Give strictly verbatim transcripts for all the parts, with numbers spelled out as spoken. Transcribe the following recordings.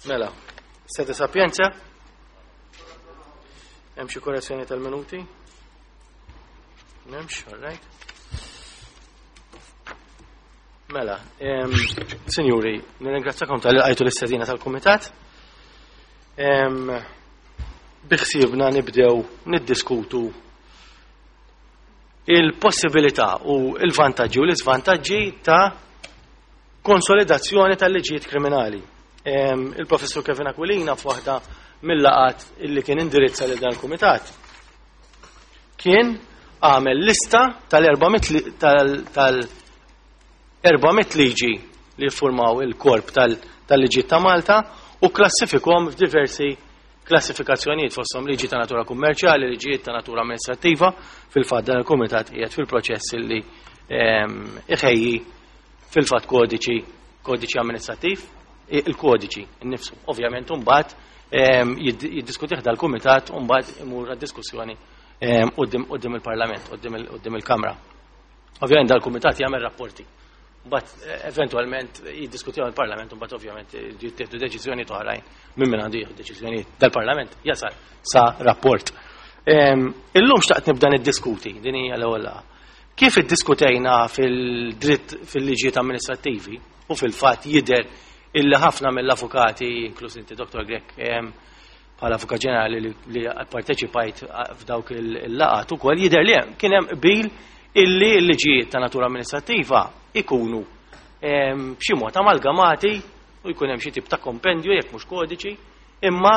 Mela, sede sapienza? Hemm xi korrezzjoni tal-minuti? M'hemmx, all right. Mela, em, sinjuri, nirringrazzakom talli lqajtu l-istedina tal-Kumitat. Em, Biħsiebna nibdew niddiskutu il-possibilità u il-vantaġġi u l-iżvantaġġi ta' konsolidazzjoni tal-liġijiet kriminali. Em, Il-professur Kevin Aquilina, f'waħda mill-laqgħat illi kien indirizza lil dan il-kumitat, kien għamel lista tal-erba' mitt tal-erba' mitt liġi li formaw il-korp tal-liġijiet ta' Malta u klassifikhom f'diversi klassifikazzjonijiet, fosthom liġi ta' natura kummerċjali, liġijiet ta' natura amministrattiva. Fil-fatt, dan il-kumitat qiegħed fil-proċess illi ehm, iħejji fil-fatt kodiċi kodiċi amministrattiv, il-kodiċi innifsu. Ovvjament, mbagħad ehm, jiddiskutih dal-kumitat u mbagħad imur għad-diskussjoni ehm, quddiem il-Parlament, quddiem il-Kamra. Ovvjament, dal-kumitat jagħmel rapporti. Mbagħad eh, eventwalment jiddiskutihom il-Parlament u mbagħad ovvjament jittieħdu deċiżjoni oħrajn minn min għandu jieħu deċiżjonijiet. Dal-Parlament jasal sa rapport. Ehm, illum xtaqt nibda niddiskuti, din hija l-ewwel laqgħa. Kif iddiskutejna fil-dritt fil-liġijiet amministrattivi u fil-fatt jidher illi ħafna mill-avukati, inkluż inti, Dottor Grech, bħala avukat ġenerali li parteċipajt f'dawk il-laqgħat ukoll, jidher li kien hemm qbil illi l-liġijiet ta' natura amministrattiva ikunu b'xi mod amalgamati u jkun hemm xi tip ta' kompendju, jekk mhux kodiċi, imma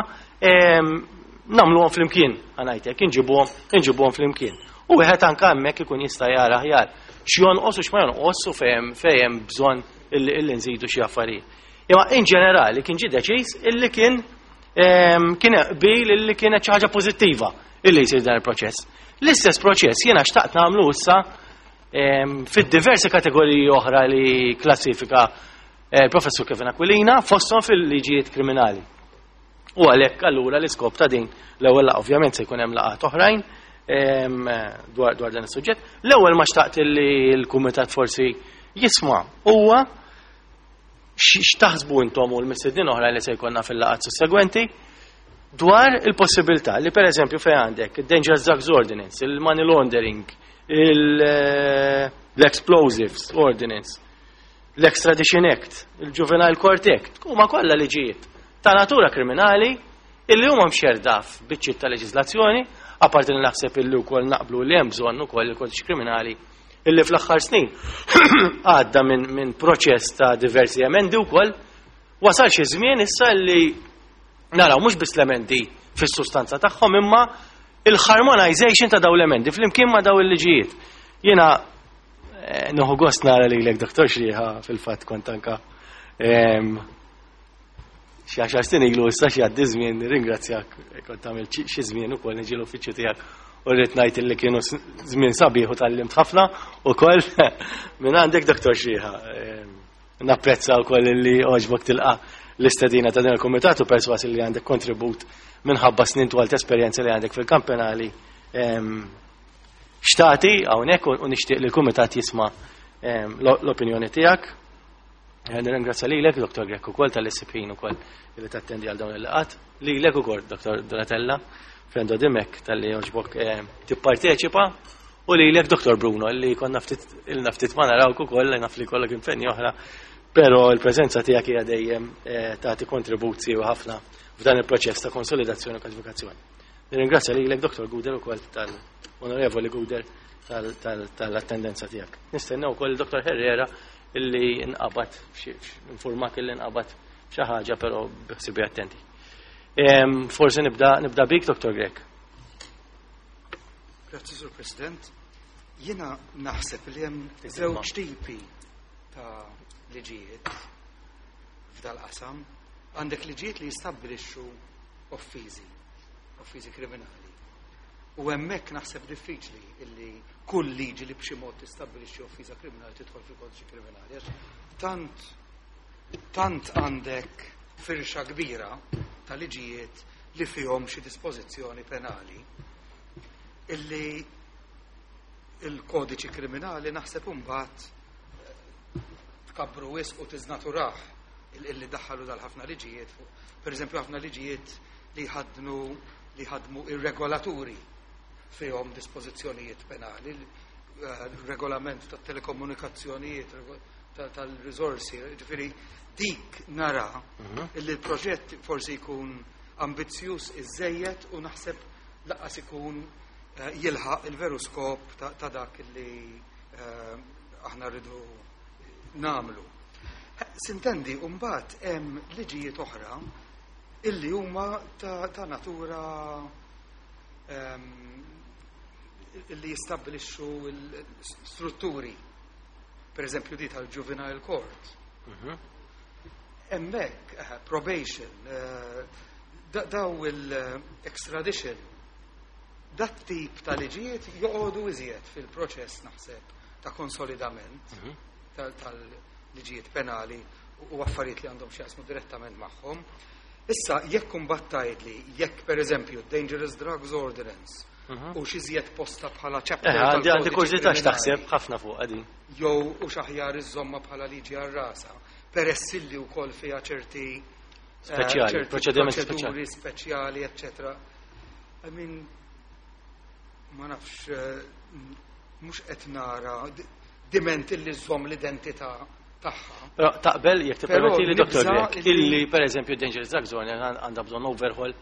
nagħmluhom flimkien, ħa ngħidlek, inġibuhom inġibuhom flimkien. U wieħed anke hemmhekk ikun jista' jara aħjar x'jonqos u x'ma jonqos u fejn fejn bżonn illi nżidu xi affarijiet. Imma in ġenerali kien ġie deċiż illi kien kien qbil illi kienet xi ħaġa pożittiva illi jsir dan il-proċess. L-istess proċess jiena xtaqt nagħmlu issa fid-diversi kategoriji oħra li klassifika eh, professur Kevin Aquilina, fosthom fil-liġijiet kriminali. U għalhekk allura l-iskop ta' din l-ewwel, ovvjament se jkun hemm laqgħat oħrajn dwar dwar dan is-suġġett. L-ewwel ma xtaqt li l-kumitat forsi jisma' huwa x'taħsbu intom u l-mistednin oħra li se jkollna fil-laqgħat sussegwenti dwar il-possibilità li, per eżempju, fejn għandek il-Dangerous Drugs Ordinance, il-Money Laundering, l-Explosives Ordinance, l-Extradition Act, il-Juvenile Court Act, huma kollha liġijiet ta' natura kriminali illi huma mxerda f'biċċiet ta' leġislazzjoni, apparti li naħseb illi wkoll naqblu li hemm bżonn ukoll il-kodiċi kriminali, illi fl-aħħar snin għadda minn min proċess ta' diversi emendi wkoll, wasal xi żmien issa li naraw mhux biss l-emendi fis-sustanza tagħhom, imma il-harmonization ta' daw l-emendi flimkien ma' daw il-liġijiet. Jiena eh, nieħu gost nara lilek, Doktor Xrieħa, fil-fatt kont anka xi għaxar snin ilu issa, xi għaddi żmien, ringrazzjak, kont għamil xi żmien ukoll niġi l-uffiċċju tiegħek u rrid ngħid li kienu żmien sabiħ u tgħallimt ħafna ukoll minn għandek, Doktor Xrieħa. Napprezza wkoll li għoġbok tilqa' l-istedina ta' din il-komitat u perswas li għandek kontribut minħabba snin twal ta' esperjenza li għandek fil-kamp penali xtati hawnhekk u nixtieq li l-kumitat jisma' l-opinjoni tiegħek. Nirringrazzja lilek, Dottor Grech, ukoll talli ssib ħin ukoll li tattendi għal dawn il-laqgħat. Lilek ukoll, Dottor Donatella Frendo Dimek, talli għoġbok tipparteċipa u lilek, Dottor Bruno, li konna ftit ilna ftit ma narawk ukoll, naf li kollok impenni oħra, però l-preżenza tiegħek hija dejjem tagħti kontribut siewi ħafna f'dan il-proċess ta' konsolidazzjoni u kodifikazzjoni. Nirringrazzja lilek, Dottor Guder, ukoll tal-Onorevoli Guder, tal-attendenza tiegħek. Nistennew ukoll Dottor Herrera illi nqabad, informak illi nqabad xi ħaġa, però biħsibu attenti. Forsi nibda nibda bik, Dottor Grech. Grazzi, Sur President. Jiena naħseb li hemm żewġ tipi ta' liġijiet f'dal-qasam. Għandek liġijiet li jistabbilixxu offiżi, offiżi kriminali. U hemmhekk naħseb diffiċli illi kull liġi li b'xi mod tistabbilixxi offiża kriminali tidħol fil-kodiċi kriminali. Għax tant tant għandek firxa kbira ta' liġijiet li fihom xi dispożizzjoni penali illi il-kodiċi kriminali naħseb imbagħad tkabbru wisq u tiżnaturah. Illi daħħalu dal-ħafna liġijiet, per eżempju ħafna liġijiet li ħadnu li ħadmu ir-regolaturi fihom dispożizzjonijiet penali, eh, regolament tat telekomunikazzjonijiet, tal-risorsi, ġifieri dik nara mhm. illi l-proġett forsi jkun ambizzjuż iżejjed u naħseb lanqas ikun eh, jilħaq il-veru skop ta' dak illi eh, aħna rridu nagħmlu. S'intendi, mbagħad hemm liġijiet oħra illi huma ta', ta natura um, illi jistabbilixxu l-strutturi. Per eżempju di tal-juvenile court. Mhm. Hemmhekk, uh, probation, uh, daw il-extradition, dat tip ta' liġijiet joqogħdu iżjed fil-proċess naħseb ta' konsolidament mhm. tal-liġijiet penali u affarijiet li għandhom x'jaqsmu direttament magħhom. Issa, jekk imbagħad tgħidli, jekk per eżempju Dangerous Drugs Ordinance mhm. u x'iżjed posta bħala chapter. Eh, għandi għandi kurżità x'taħseb ħafna fuq għadi. Jew u x'aħjar iżomma bħala liġi għal rasa, peress illi wkoll fiha ċerti eh, speċjali, proċedimenti speċjali, speċjali, eccetera. I mean, ma nafx, eh, mhux qed nara diment illi żomm l-identità tagħha. Però taqbel jekk tippermetti li Dottor Grech illi pereżempju Dangerous Drugs Ordinance għandha bżonn overhaul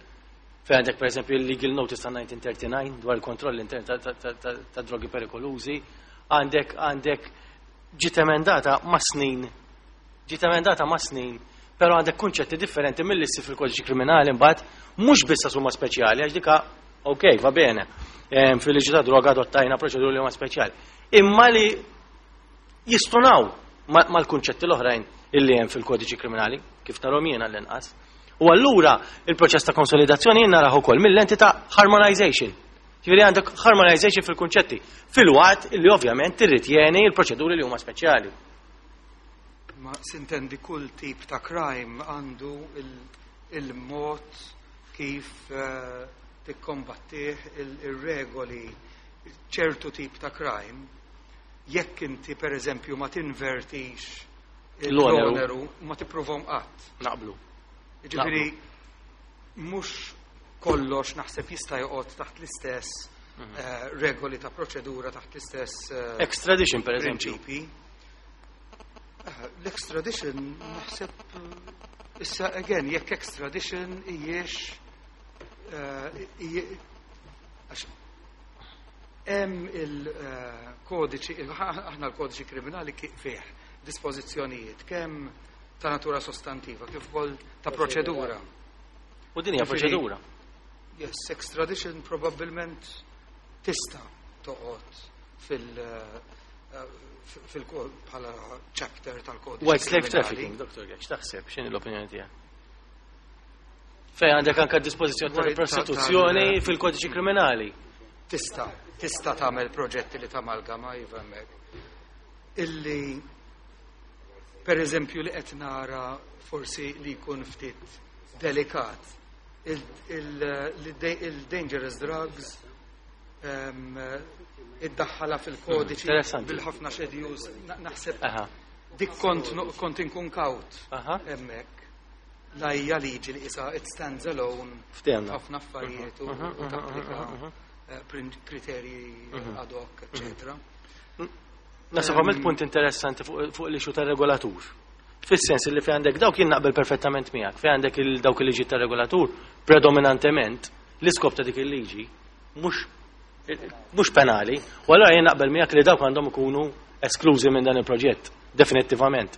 fejn għandek pereżempju il-Legal Notice ta' elf disa' mija u tletin u disgħin dwar il-kontroll intern ta' drogi perikolużi, għandek għandek ġiet emendata ma' snin, ġiet emendata ma' snin, però għandek kunċetti differenti mill fil-kodiċi kriminali mbagħad mhux biss huma speċjali għax dika ok, va bene. Fil-liġi ta' droga adottajna proċeduri li huma speċjali. Imma li jistunaw mal-kunċetti l-oħrajn illi hemm fil-kodiċi kriminali, kif narahom jiena l-inqas. U allura il-proċess ta' konsolidazzjoni jien naraħ ukoll mill-lenti ta' harmonization. Ġifieri għandek harmonization fil-kunċetti, fil-waqt illi ovvjament tirritjeni il-proċeduri li huma speċjali. Ma s'intendi kull tip ta' crime għandu il-mod kif eh, tikkombattih il-regoli ċertu tip ta' crime jekk inti per eżempju ma tinvertix l-oneru ma tipprovhom qatt. Naqblu. Ġifieri mhux kollox naħseb jista' joqgħod taħt l-istess mhm. eh, regoli ta' proċedura taħt l-istess eh, Extradition per eżempju. Eh, l-extradition naħseb issa again jekk extradition hijiex għax hemm il-kodiċi, aħna l-kodiċi kriminali fih dispożizzjonijiet kemm ta' natura sostantiva kif ukoll ta' proċedura. U din hija proċedura. Yes, extradition probabbilment tista' toqgħod fil- fil bħala chapter tal-kodiċi. White slave trafficking, Dottor Grech, taħseb, x'inhi l-opinjoni tiegħek? Fej għandek anka dispożizzjoni tal-prostituzzjoni fil-kodiċi kriminali. Tista' tista' tagħmel proġetti li tamalgama iva hemmhekk. Illi per eżempju li qed nara forsi li jkun ftit delikat il-dangerous drugs iddaħħala fil-kodiċi mm, bil-ħafna schedules naħseb dik kont kont inkun kawt hemmhekk. La hija liġi li isa it stands alone ħafna affarijiet u tapplika eh, kriterji mhm. ad hoc, eccetera. Naħseb għamilt punt interessanti fuq l-issue tar-regolatur. Fis-sens li fi għandek dawk jien naqbel perfettament miegħek, fi għandek dawk il-liġi tar-regolatur predominantement l-iskop ta' dik il-liġi mhux mhux penali, u allura jien naqbel miegħek li dawk għandhom ikunu esklużi minn dan il-proġett, definittivament.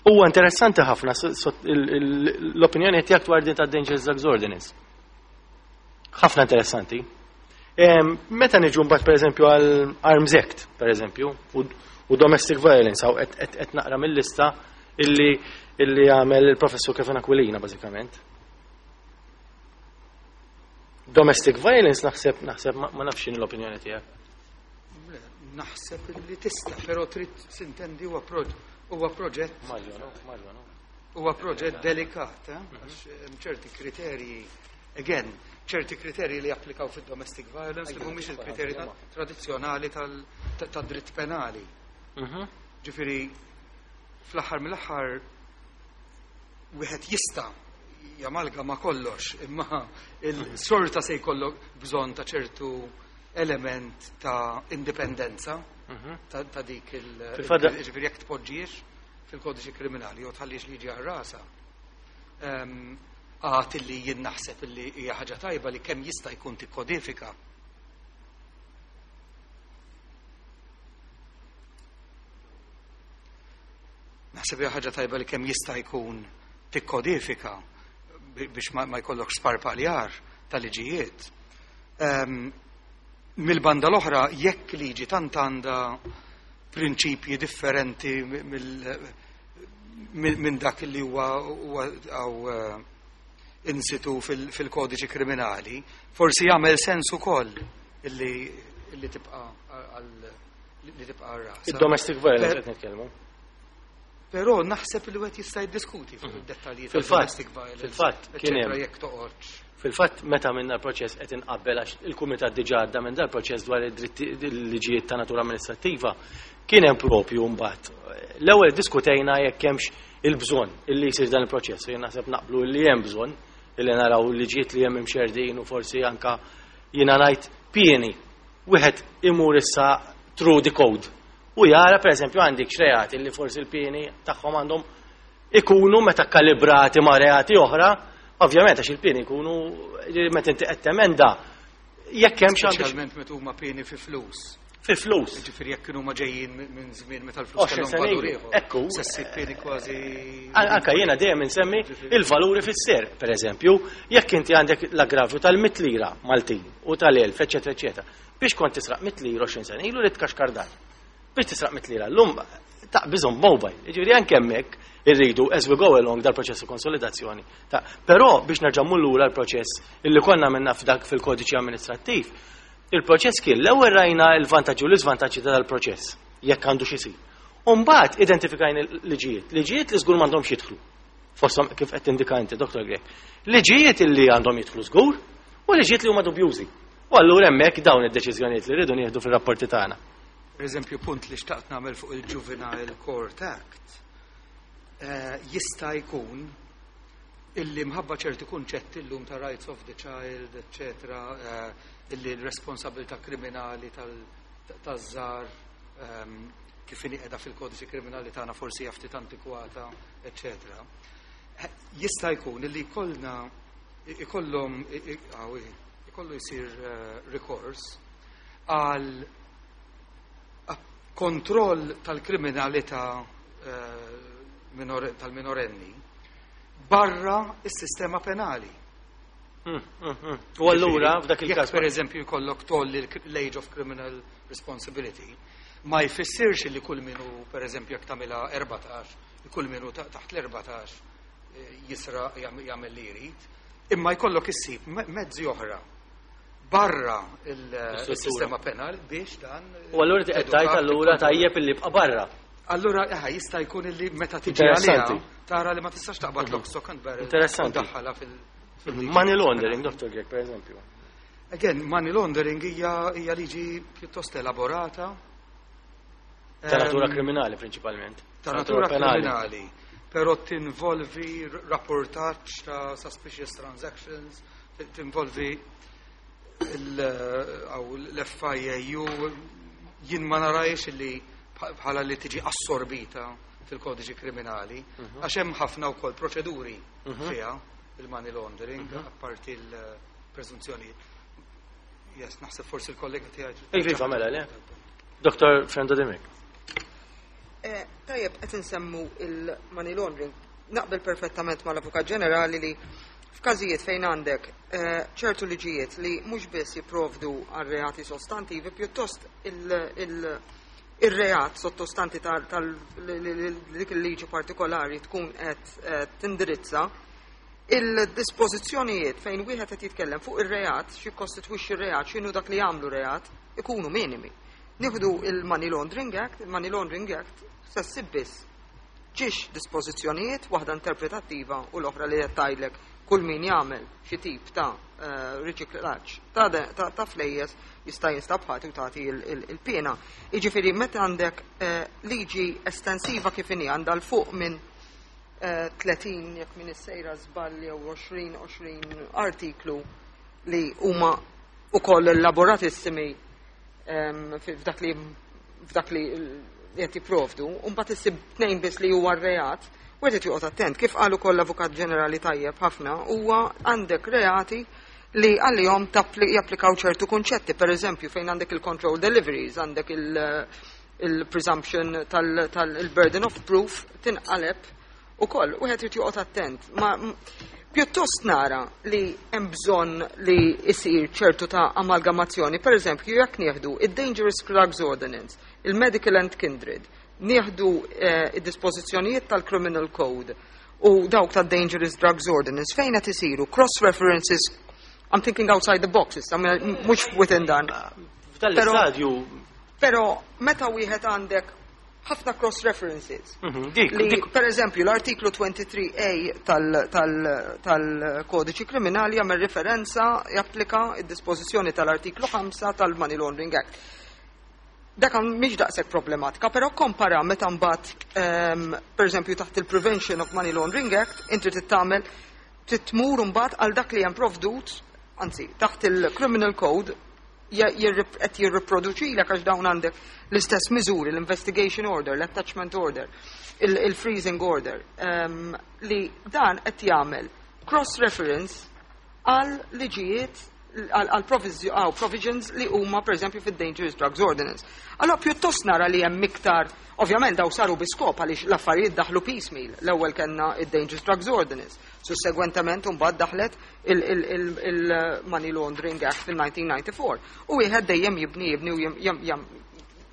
Huwa interessanti ħafna l-opinjoni tiegħek dwar din ta' Dangerous Drugs Ordinance. Ħafna interessanti. Meta niġu mbagħad pereżempju għal Arms Act, pereżempju, u domestic violence, għaw qed naqra mill-lista illi illi għamel il-professur Kevin Aquilina bażikament. Domestic violence naħseb naħseb ma nafx l-opinjoni tiegħek. Naħseb li tista', però trid s'intendi huwa huwa proġett. Mario, no? Mario, no? Huwa proġett delikat, eh? għax hemm ċerti kriterji again, ċerti kriterji li applikaw fid-domestic violence li mhumiex il-kriterji tradizzjonali tad-dritt penali. Mhm. Ġifieri, fl-aħħar mill-aħħar Wieħed jista' jamalgama kollox, imma il-sorta se jkollok bżonn ta' ċertu element ta' indipendenza ta', ta' dik il- Fil-fatt- ġifieri jekk tpoġġiex fil-kodiċi kriminali jew tħallix liġi għal rasa. Ehm, Għad illi jien naħseb illi hija ħaġa tajba li kemm jista' jkun tikkodifika. Naħseb hija ħaġa tajba li kemm jista' jkun tikkodifika bi- biex ma, ma jkollokx sparpaljar ta' liġijiet. Um, Mill-banda l-oħra, jekk liġi tant għandha prinċipji differenti mill- mill- minn dak li huwa huwa għaw eh, insitu fil- fil-kodiċi kriminali, forsi jagħmel sens ukoll illi illi tibqa' għal li tibqa' għal rasa. Il-domestic violence Per- qed nitkellmu. Però naħseb li wieħed jista' jiddiskuti fuq id-dettalji Fil-fatt, tal-domestic violence. fil-fatt, kien hemm. eċċetera, jekk toqgħodx. Fil-fatt, meta minna l-proċess qed inqabbel għax il-Kumitat diġà għadda minn dal-proċess dwar id-dritti il-liġijiet ta' natura amministrattiva, kien hemm propju mbagħad. L-ewwel diskutejna jekk hemmx il-bżonn illi jsir dan il-proċess. Jien naħseb naqblu li hemm bżonn illi naraw liġijiet li hemm imxerdin u forsi anka jiena ngħid pieni. Wieħed imur issa through the code. U jara pereżempju għandek xreati li forsi l-pieni tagħhom għandhom ikunu meta kalibrati ma' reati oħra, ovvjament għax il-pieni jkunu meta inti qed temenda jekk hemm xi għandu Speċjalment meta huma pieni fi flus. fi flus. Ġifieri jekk kienu ma ġejjin minn minn żmien meta l-flus Għoxrin kellhom sena valur ilu. ieħor. Ekku. Se ssib pieni kważi. Anka jiena dejjem insemmi il-valuri fis-ser, per eżempju, jekk inti għandek l-aggravju tal-mitt lira Maltin u tal-elf, eċetera, eċetera. Biex kont tisraq mitt lira għoxrin sena ilu li tkaxkar dar. Biex tisraq mitt lira llum taqbiżhom mobile. Jiġifieri anke hemmhekk irridu as we go along dal-proċess ta' konsolidazzjoni. Ta' Però biex nerġa' mmur lura l-proċess illi konna minna f'dak fil-kodiċi amministrattiv, il-proċess kien l-ewwel rajna l-vantaġġi u l-iżvantaġġi ta' dal-proċess jekk għandu xi jsir. U mbagħad identifikajna l-liġijiet, liġijiet li żgur m'għandhomx jidħlu. Fosthom kif qed tindika inti, Doktor Grech. Liġijiet illi għandhom jidħlu żgur u liġijiet li huma dubjużi. U allura hemmhekk dawn id-deċiżjonijiet li rridu nieħdu fir-rapporti tagħna. Per eżempju, punt li xtaqt nagħmel fuq il-Juvenile Court Act, eh, jista' jkun illi mħabba ċerti kunċetti llum ta' rights of the child, eccetera, eh, illi l-responsabilità kriminali tal-, taż-żgħar, ehm, kif inhi qiegħda fil-kodiċi kriminali tagħna forsi hija ftit antikwata, eccetera. Eh, jista' jkun illi jkollna ikollhom ikollu jsir, eh, rikors għal kontroll tal-kriminalità, eh, minore-, tal-minorenni barra is-sistema penali. Hmm, hmm, hmm. U allura f'dak il-każ Jekk per eżempju jkollok tolli l-age of criminal responsibility, ma jfissirx li kull minu, per eżempju, jekk tagħmilha erbatax, li kull minu ta-, taħt l-erbatax, eh, jisra jam-, jagħmel li jrid, imma jkollok issib me-, mezzi oħra barra il-, L-istruttura. il-sistema penali biex dan U allura qed tgħid allura tajjeb illi jibqa' barra. Allura, eħa, jista' jkun illi meta tiġi Interessanti. għaliha, tara li ma tistax taqbad lock, stock and barrel. Interessanti. u daħħalha fil-, fil-liġi. Money laundering, Doktor Grech, per eżempju. Again, money laundering hija, hija liġi pjuttost elaborata. Ta' natura Ehm, kriminali, prinċipalment. Ta' natura kriminali. Però tinvolvi r-, rapportaġġ ta' suspicious transactions, t-, tinvolvi il-, aw l-F I A U, jien ma narajx li bħ-, bħala li tiġi assorbita fil-kodiċi kriminali, Mhm. għax hemm ħafna wkoll proċeduri Mhm. fiha il-money laundering, Mhm. apparti l-preżunzjoni. Yes, naħseb forsi l-kollega tiegħi. Iva, iva, mela, le? Doktor Frendo Dimech. Eh, tajjeb, qed insemmu il-money laundering. Naqbel perfettament mal-Avukat Ġenerali li f'każijiet fejn għandek, eh, ċertu liġijiet li mhux biss jipprovdu għal reati sostantivi, pjuttost il-, il-, il-reat sottostanti tal-, tal-, dik il-liġi partikolari tkun qed, eh, tindirizza il-dispożizzjonijiet fejn wieħed qed jitkellem fuq ir-reat, xi kostitwixxi r-reat, x'inhu dak li jagħmlu reat, ikunu minimi. Nieħdu il-Money Laundering Act, il-Money Laundering Act se ssib biss ġiex dispożizzjonijiet, waħda interpretattiva u l-oħra li qed tgħidlek kull min jagħmel xi tip ta', eh, riċiklaġġ ta' de-, ta', ta' flejjes jista' jinstab ħati u tagħti il-, il-, il-pena. Jiġifieri meta għandek, eh, liġi estensiva kif inhi għandha l fuq minn eh, tletin, jekk m'iniex sejra żball, jew għoxrin għoxrin artiklu li huma ukoll elaboratissimi em, f'dak li f'dak li qed jipprovdu, u mbagħad issib tnejn biss li huwa r-reat, u qed joqgħod attent. Kif qal ukoll l-Avukat Ġenerali tajjeb ħafna, huwa għandek reati li għalihom japplikaw ċertu kunċetti, per eżempju, fejn għandek il-control deliveries, għandek il- il-presumption tal-burden of proof tinqaleb ukoll, u qed joqgħod attent. Ma pjuttost nara li hemm bżonn li isir ċertu ta' amalgamazzjoni, per eżempju, jekk nieħdu id-Dangerous Drugs Ordinance, il-Medical and Kindred, nieħdu eh, id-dispożizzjonijiet tal-Criminal Code u dawk tad-Dangerous Drugs Ordinance fejn qed isiru cross references. I'm thinking outside the box, issa, mhux within dan. F'dan l-istadju. Però meta wieħed għandek ħafna cross references. Mhm, dik, Li, dik, per eżempju, l-artiklu tlieta u għoxrin A tal-kodiċi kriminali jagħmel referenza, japplika id-dispożizzjoni tal-artiklu ħamsa tal-Money Laundering Act. Dak mhix daqshekk problematika, però kompara meta mbagħad ehm, per eżempju taħt il-Prevention of Money Laundering Act inti trid tagħmel trid tmur mbagħad għal dak li hemm provdut, anzi taħt il-Criminal Code qed jirriproduċilek għax dawn għandek l-istess miżuri, l-investigation order, l-attachment order, il-freezing order, ehm, li dan qed jagħmel cross-reference għal liġijiet, għal provisions li huma per eżempju fid-Dangerous Drugs Ordinance. Allora pjuttost nara li hemm iktar, ovvjament daw saru bi skop għaliex l-affarijiet daħlu piecemeal. L-ewwel kellna id-Dangerous Drugs Ordinance. Sussegwentement mbagħad daħlet il-Money Laundering Act fil-elf disa' mija u disgħa u disgħin. U wieħed dejjem jibni jibni u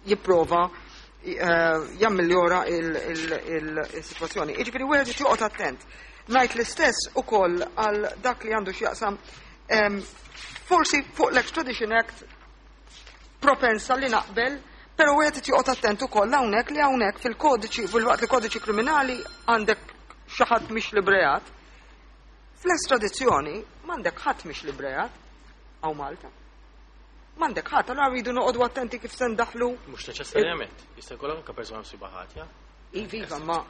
jipprova eh, jammiljora il-situazzjoni. Jiġifieri wieħed joqgħod attent. Ngħid l-istess ukoll għal dak li għandu x'jaqsam forsi fuq l-Extradition Act, propensa li naqbel, pero wieħed joqgħod attent ukoll hawnhekk li hawnhekk fil-kodiċi, fil-waqt li kodiċi kriminali għandek xi ħadd mhix b'reat. Fl-estradizzjoni m'għandek ħadd mhix b'reat hawn Malta. M'għandek ħadd, allura rridu noqogħdu attenti kif se ndaħlu. Mhux neċessarjament, jista' jkollok anke persuna misjuba ħatja. Iva, ma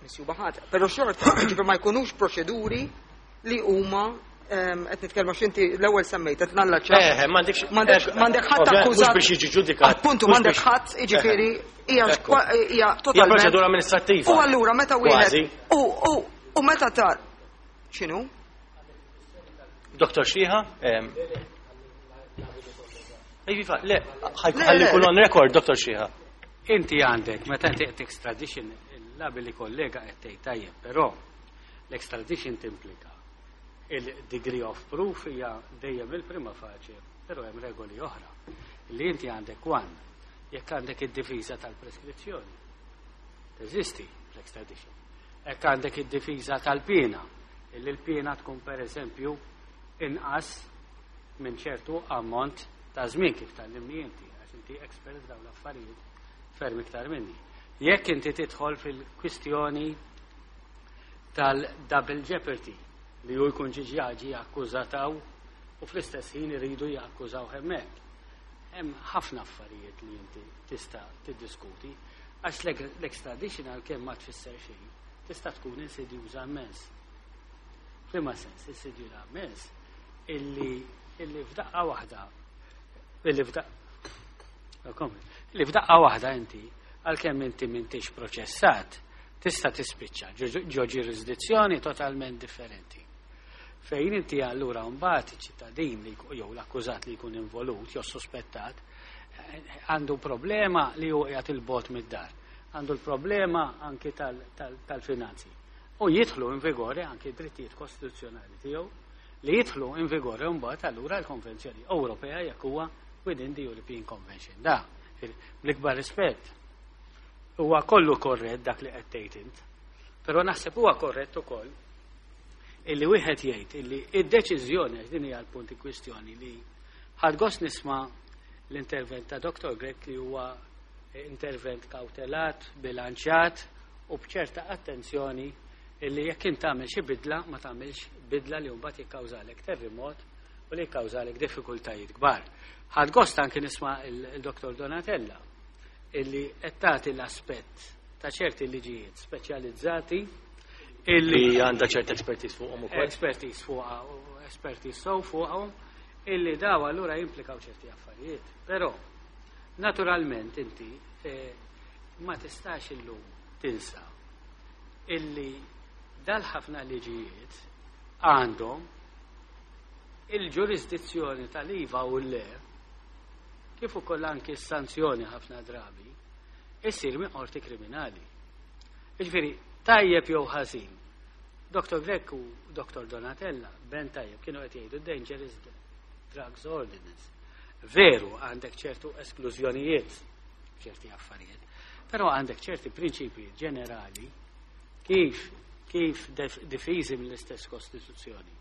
misjuba ħatja. Però xorta, ġifier ma jkunux proċeduri li huma qed nitkellmu x'inti l-ewwel semmejt qed nallaċċa. Eh, m'għandekx m'għandek ħadd akkużat. Mhux biex jiġi ġudikat. Appuntu, m'għandek ħadd, jiġifieri hija hija totalment. Proċedura amministrattiva. U allura meta wieħed u u u meta tar x'inhu? Doktor Xiha? Iva, le, ħalli jkun on record, Doktor Xiha. Inti għandek, meta inti qed extradition, l-abili kollega qed tgħid tajjeb, però l-extradition timplika il-degree of proof hija dejjem il-prima facie, però hemm regoli oħra. Li inti għandek one, jekk għandek id-difiża tal-preskrizzjoni. Teżisti l-extradition. Jekk għandek id-difiża tal-pena, illi l-pena tkun per eżempju inqas minn ċertu ammont ta' żmien kif tgħallimni inti, għax inti expert f'dawn l-affarijiet ferm iktar minni. Jekk inti tidħol fil-kwistjoni tal-double jeopardy, li hu jkun ġiġi akkużataw u fl-istess ħin iridu jakkużaw hemmhekk. Hemm ħafna affarijiet li inti tista' tiddiskuti għax l-extradition, għalkemm ma tfisser xejn, tista' tkun insidjuża immens. F'liema sens insidjuża immens? illi illi f'daqqa waħda illi f'daqqa illi f'daqqa waħda inti, għalkemm inti m'intix proċessat, tista' tispiċċa ġo ġurisdizzjoni totalment differenti. Fejn inti allura mbagħad iċ-ċittadin li jew l-akkużat li jkun involut jew sospettat eh, għandu problema li hu qiegħed il-bogħod mid-dar. Għandu l-problema anki tal-finanzi. U jidħlu in vigore anki drittijiet kostituzzjonali tiegħu li jidħlu in vigore mbagħad allura l-Konvenzjoni Ewropea jekk huwa within the European Convention. Da, bl-ikbar rispett, huwa kollu korrett dak li qed tgħid int. Però naħseb huwa korrett ukoll illi wieħed jgħid illi id-deċiżjoni, għax din hija l-punt kwistjoni li ħadt gost nisma' l-intervent ta' Doktor Grech, li huwa intervent kautelat, bilanċat u bċerta attenzjoni illi jekk int tagħmel xi bidla ma tagħmilx bidla li mbagħad jikkawżalek terremot u li jikkawżalek diffikultajiet kbar. Ħadt gost anke nisma' il-Doktor Donatella illi qed tagħti l-aspett ta' ċerti liġijiet speċjalizzati. Illi Li għandha ċert expertise fuqhom ukoll. Expertise fuqha u expertise sew fuqhom, illi daw allura jimplikaw ċerti affarijiet. Però naturalment inti eh, ma tistax illum tinsa illi dal-ħafna liġijiet għandhom il-ġurisdizzjoni tal-iva u l-le, kif ukoll anki s-sanzjoni ħafna drabi, issir minn qorti kriminali. Jiġifieri, tajjeb jew ħażin, Doktor Grech u Doktor Donatella, ben tajjeb, kienu qed jgħidu Dangerous Drugs Ordinance. Veru, għandek ċertu esklużjonijiet, ċerti affarijiet, però għandek ċerti prinċipi ġenerali kif kif difiżi mill-istess Kostituzzjoni.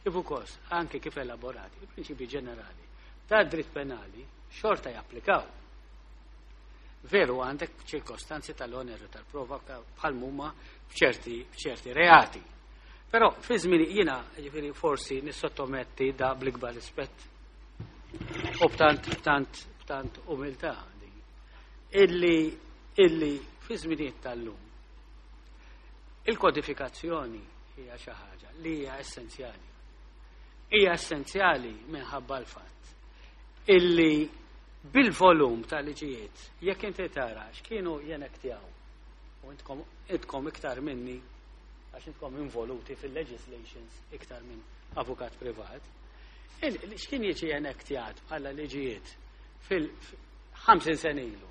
Kif ukoll anke kif elaborati, il-prinċipi ġenerali ta' dritt penali xorta japplikaw. Veru, għandek ċirkostanzi tal-oneru tal-prova bħal mumma f'ċerti f'ċerti reati. Però fi żmien jiena, jiġifieri, forsi nissottometti da bl-ikbar rispett u b'tant b'tant b'tant umiltà din, illi illi fi żminijiet tal-lum il-kodifikazzjoni hija xi ħaġa li hija essenzjali. Hija essenzjali minħabba l-fatt illi bil-volum ta' liġijiet, jekk inti tara x'kienu jenektjaw, u intkom intkom iktar minni għax intkom involuti fil-legislations iktar minn avukat privat, x'kien jiġi enektjat bħala liġijiet fil-ħamsin sena ilu,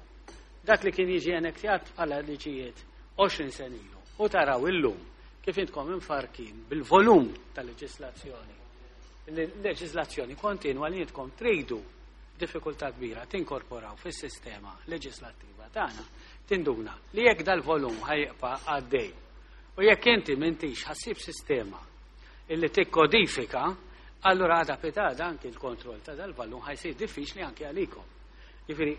dak li kien jiġi enektjat bħala liġijiet għoxrin sena ilu, u taraw illum kif intkom infarkin bil-volum tal-leġislazzjoni, leġislazzjoni kontinwa li intkom tridu diffikultà kbira tinkorporaw fis-sistema leġislattiva tagħna, tinduna li jekk dal-volum ħa jibqa' għaddej u jekk inti m'intix ħa ssib sistema illi tikkodifika, allura għada pitgħada anki l-kontroll ta' dal-volum ħa jsir diffiċli anki għalikom. Jiġifieri,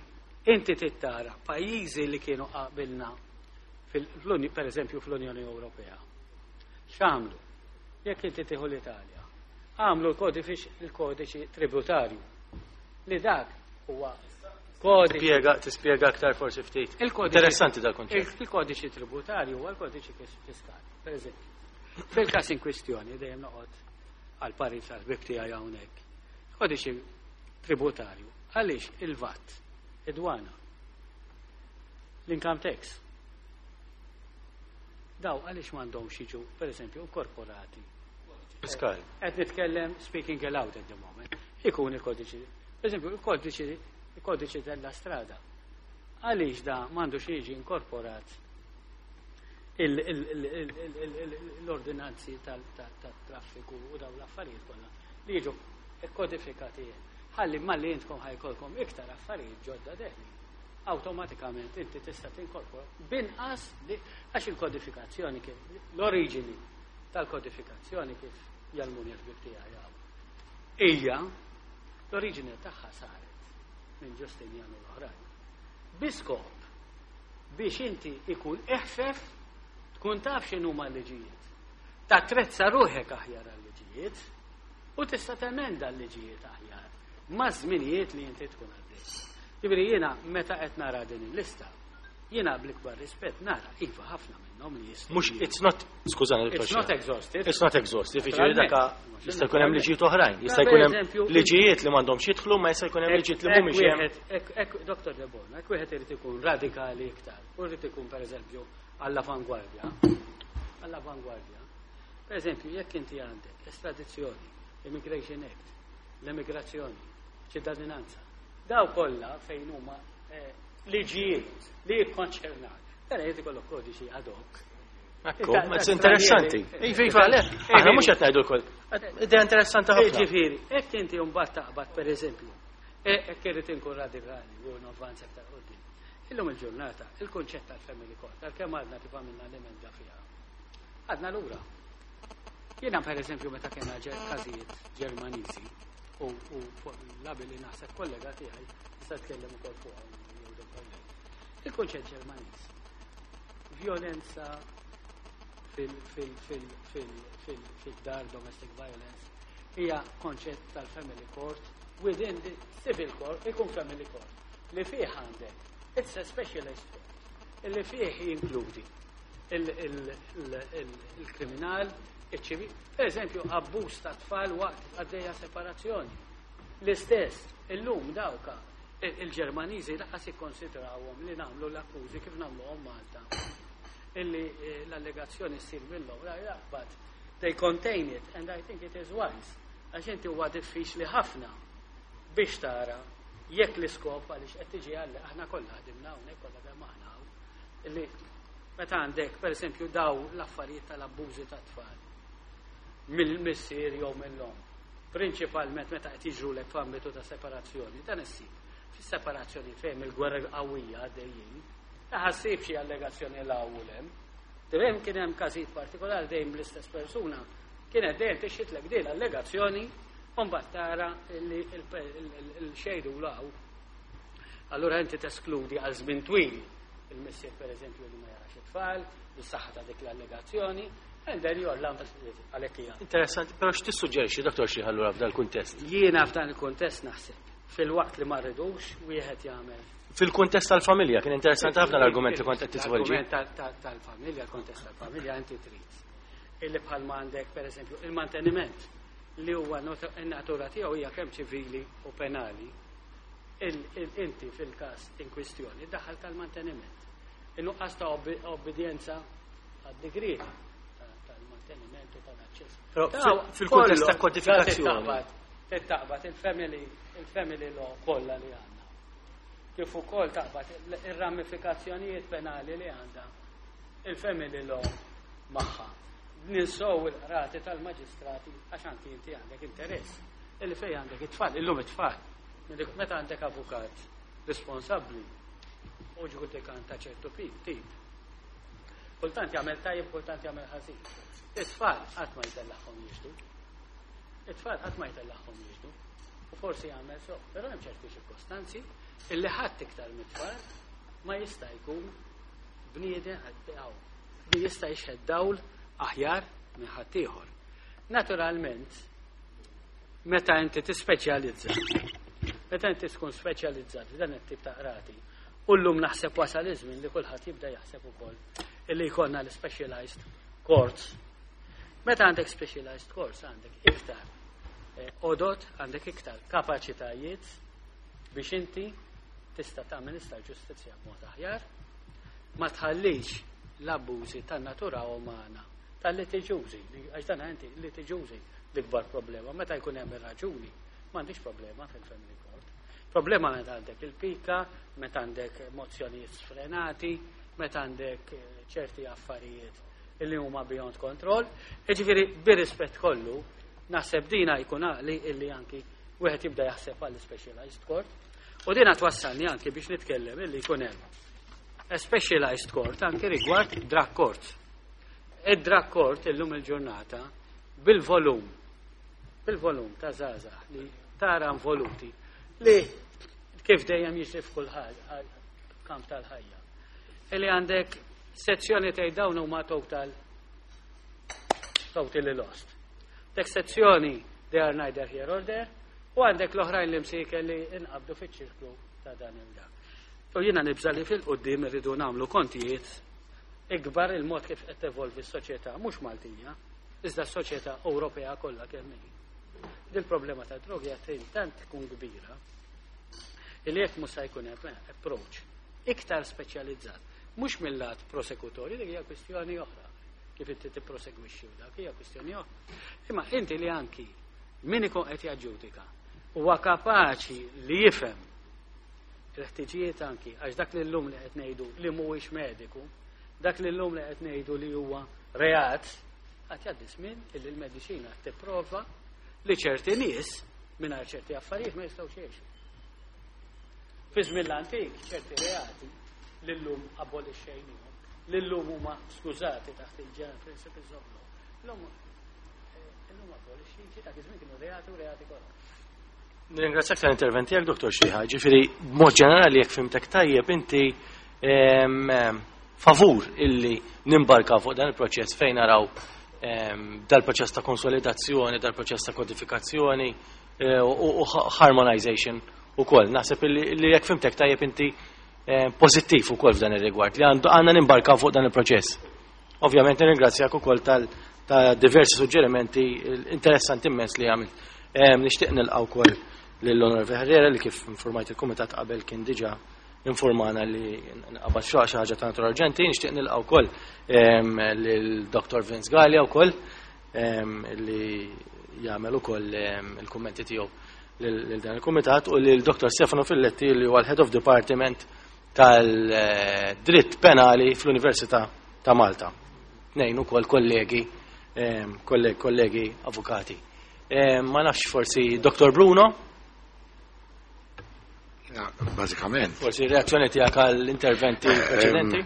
inti tittara pajjiżi li kienu qabilna, per eżempju fl-Unjoni Ewropea. X'għamlu? Jekk inti tieħu l-Italja, għamlu l-kodiċi tributarju li dak huwa kodiċi. Tispjega, tispjega aktar forsi ftit. Interessanti dal konċett. Il-kodiċi tributarju huwa l-kodiċi fiskali, per eżempju. Fil-każ in kwistjoni, dejjem noqgħod għal parir tal-ħbib tiegħi hawnhekk. Kodiċi tributarju, għaliex il-VAT, id-dwana, l-income tax, daw għaliex m'għandhomx jiġu, per eżempju, inkorporati? Fiskali. Qed nitkellem speaking aloud at the moment. Ikun il-kodiċi. Per eżempju, il-kodiċi il-kodiċi della strada. Għaliex da m'għandux jiġi inkorporat l-ordinanzi tal-traffiku u daw l-affarijiet kollha li jiġu kodifikati? Ħalli malli intkom ħa jkollkom iktar affarijiet ġodda deħli, awtomatikament inti tista' tinkorpora binqas, għax il-kodifikazzjoni, kif l-oriġini tal-kodifikazzjoni, kif jgħallmuni l-ħbib tiegħi, hija l-oriġini tagħha saret minn Ġustinjan u l-oħrajn. Bi skop biex inti ikun eħfef tkun taf x'inhuma l-liġijiet. Tatrezza ruħek aħjar għal-liġijiet u tista' temenda l-liġijiet aħjar ma' żminijiet li inti tkun għaddej. Jiġifieri, jiena meta qed nara din il-lista, jiena bl-ikbar rispett nara iva ħafna minnhom li jistgħu. Mhux, it's not, skużani. It's not exhaustive. It's not exhaustive, jiġifieri daka jista' jkun hemm liġijiet oħrajn, jista' jkun hemm liġijiet li m'għandhomx jidħlu, ma jista' jkun hemm liġijiet li mhumiex hemm. Doktor De Bono, hekk wieħed irid ikun radikali iktar, u jrid ikun pereżempju għall-avangwardja. Għall-avangwardja. Per eżempju, jekk inti għandek estradizzjoni, Immigration Act, l-immigrazzjoni, ċittadinanza, daw kollha fejn huma eh, liġijiet li jikkonċernak. Tara jrid ikollok kodiċi ad hoc. Ekku, interessanti. Iva, iva, le, aħna mhux qed ngħidu wkoll. Idea interessanti ħafna. Ġifieri, hekk inti mbagħad taqbad pereżempju, hekk irid inkun radikali u navvanza aktar quddiem. Illum il-ġurnata, il-kunċett tal-family court, għalkemm għadna kif għamilna l-emenda fiha, għadna lura. Jiena per eżempju meta kena każijiet Ġermaniżi u fuq l-labi li naħseb kollega tiegħi tista' tkellem ukoll fuq. Il-kunċett Ġermaniż. Violenza fil-dar, domestic violence, hija konċett tal-family court within the civil court, ikun family court li fih għandek, it's a specialist court illi fih jinkludi Il-kriminal, il-ċivil, per eżempju, abbuż ta' tfal waqt għaddejja separazzjoni. L-istess, illum dawka il-Ġermaniżi lanqas jikkonsidrawhom li nagħmlu l-akkużi kif nagħmluhom Malta. Illi eh, l-allegazzjoni ssir minnhom, but they contain it and I think it is wise. Għax inti huwa diffiċli ħafna biex tara jekk l-iskop, għaliex qed tiġi għall aħna kollha ħdimna hawnhekk, kollha kemm aħna hawn, illi meta għandek pereżempju daw l-affarijiet tal-abbużi ta' tfal mill-missier jew mill-omm, prinċipalment meta qed jiġrulek f'ambitu ta' separazzjoni, dan issib fis-separazzjoni fejn il-gwerra qawwija għaddejjin, ħassib xi allegazzjoni l u lem. Dejjem kien hemm każijiet partikolari, dejjem l-istess persuna kienet dejjem tixxitlek din l-allegazzjoni u mbagħad tara li l-xejdu law. Allura inti teskludi għal żmien twil il-missier, per eżempju, li ma jarax it-tfal, bis-saħħa ta' dik l-allegazzjoni, and then you're għalhekk hija. Interessanti, però x'tissuġġerixxi, Dottor Sciriha, allura f'dal kuntest? Jiena f'dan il-kuntest naħseb fil-waqt li ma rridux wieħed jagħmel Fil-kuntest tal-familja, kien interessanti ħafna l-argument li kont qed tiżvolġi. L-argument tal-familja, l-kontest tal-familja, inti trid illi bħalma għandek, per eżempju, il-manteniment li huwa in-natura tiegħu hija kemm ċivili u penali, inti fil-każ in kwistjoni daħal tal-manteniment. In-nuqqas ta' obbedjenza għad-digriet tal-manteniment u tal-aċċess. Fil-kuntest ta' kodifikazzjoni. Taqbad il-family il-family law kollha li għandna. Kif ukoll taqbad ir-ramifikazzjonijiet penali li għandha il-family law magħha. Ninsow il-qrati tal-maġistrati, għax anki inti għandek interess illi fej għandek it-tfal, illum it-tfal. Meta għandek avukat responsabbli u ġudikant ta' ċertu tip. Kultant jagħmel tajjeb, kultant jagħmel ħażin. It-tfal qatt ma jtellagħhom jixhdu. It-tfal qatt ma jtellagħhom jixhdu. U forsi jagħmel so, però hemm ċerti ċirkostanzi illi ħadd iktar mit-tfal ma jista' jkun bniedem li jista' jixhed dawl aħjar minn ħaddieħor. Naturalment, meta inti tispeċjalizza, meta inti tkun speċjalizzat f'dan it-tip ta' qrati, u llum naħseb wasal iż-żmien li kulħadd jibda jaħseb ukoll illi jkollna l-specialized courts. Meta għandek specialized courts għandek iktar eh, għodod, għandek iktar kapaċitajiet biex inti tista' tagħmel ġustizzja b'mod aħjar, ma tħallix l-abbużi tan-natura umana, tal-litiġużi, għax dan inti litiġużi l-ikbar problema. Meta jkun hemm ir-raġuni, m'għandix problema fil-family court. Problema meta għandek il-pika, meta għandek emozzjonijiet sfrenati, meta għandek eh, ċerti affarijiet illi huma beyond control. Jiġifieri, bir-rispett kollu, naħseb dina jkun għaqli illi anki wieħed jibda jaħseb għall specialized court. U dina twassalni anki biex nitkellem illi jkun hemm a specialized court anki rigward drug court. Id-drug court illum il-ġurnata bil-volum, bil-volum ta' żgħażagħ li tara involuti, li kif dejjem jiġri f'kull kamp tal-ħajja. Illi għandek sezzjoni tgħid dawn huma total totally lost. Dik sezzjoni they are neither here or there, u għandek l-oħrajn li msieken li inqabdu fiċ-ċirklu ta' dan il-dak. U jiena nibża li fil-qoddim irridu nagħmlu kontijiet ikbar il-mod kif qed tevolvi s-soċjetà, mhux Maltija, iżda s-soċjetà Ewropea kollha kemm hi. Dil-problema ta' drogi qed tant tkun kbira illi jekk mhux se jkun hemm approach iktar speċjalizzat, mhux mill-lat prosekutorju, dik hija kwistjoni oħra, kif inti tipprosegwixxi u dak hija kwistjoni oħra. Imma inti li anki min ikun qed jaġġudika huwa kapaċi li jifhem il-ħtiġijiet anki, għax dak li llum li qed ngħidu li mhuwiex mediku, dak li llum li qed ngħidu li huwa reat, għad jgħaddi żmien illi l-mediċina tipprova li ċerti nies mingħajr ċerti affarijiet ma jistgħux jgħixu. Fi żmien l-antik ċerti reati li llum abolixxejnihom, li llum huma skużati taħt il-general principles of law. Llum eh, illum abolixxi, dak iż-żmien kienu reati u reati kollha. Nirringrazzjak tal-intervent tiegħek, Dottor Sciriha. Ġifieri, b'mod ġenerali, jekk fhimtek tajjeb, inti em, em, favur illi nimbarka fuq dan il-proċess fejn naraw em, dal-proċess ta' konsolidazzjoni, dal-proċess ta' kodifikazzjoni eh, u u harmonization ukoll. Naħseb illi illi jekk fhimtek tajjeb inti eh, pożittiv ukoll f'dan ir-rigward li għandu għandna nimbarkaw fuq dan il-proċess. Ovvjament nirringrazzjak ukoll tal ta' diversi suġġerimenti interessanti immens li għamilt. Nixtieq nilqa' wkoll lill-Onorevoli Herrera li kif informajt il-Kumitat qabel kien diġà informana li nqabad xi ħaġa ta' natura urġenti. Nixtieq nilqa' wkoll lil Dottor Vince Galea wkoll li jagħmel ukoll il-kummenti tiegħu lil dan il-Kumitat u lil Dottor Stefano Filletti li huwa l-Head of Department tal-Dritt Penali fl-Università ta' Malta. Tnejn ukoll kollegi kollegi avukati. Ma nafx forsi Dottor Bruno? Bażikament. Forsi reazzjoni tiegħek għall-interventi preċedenti?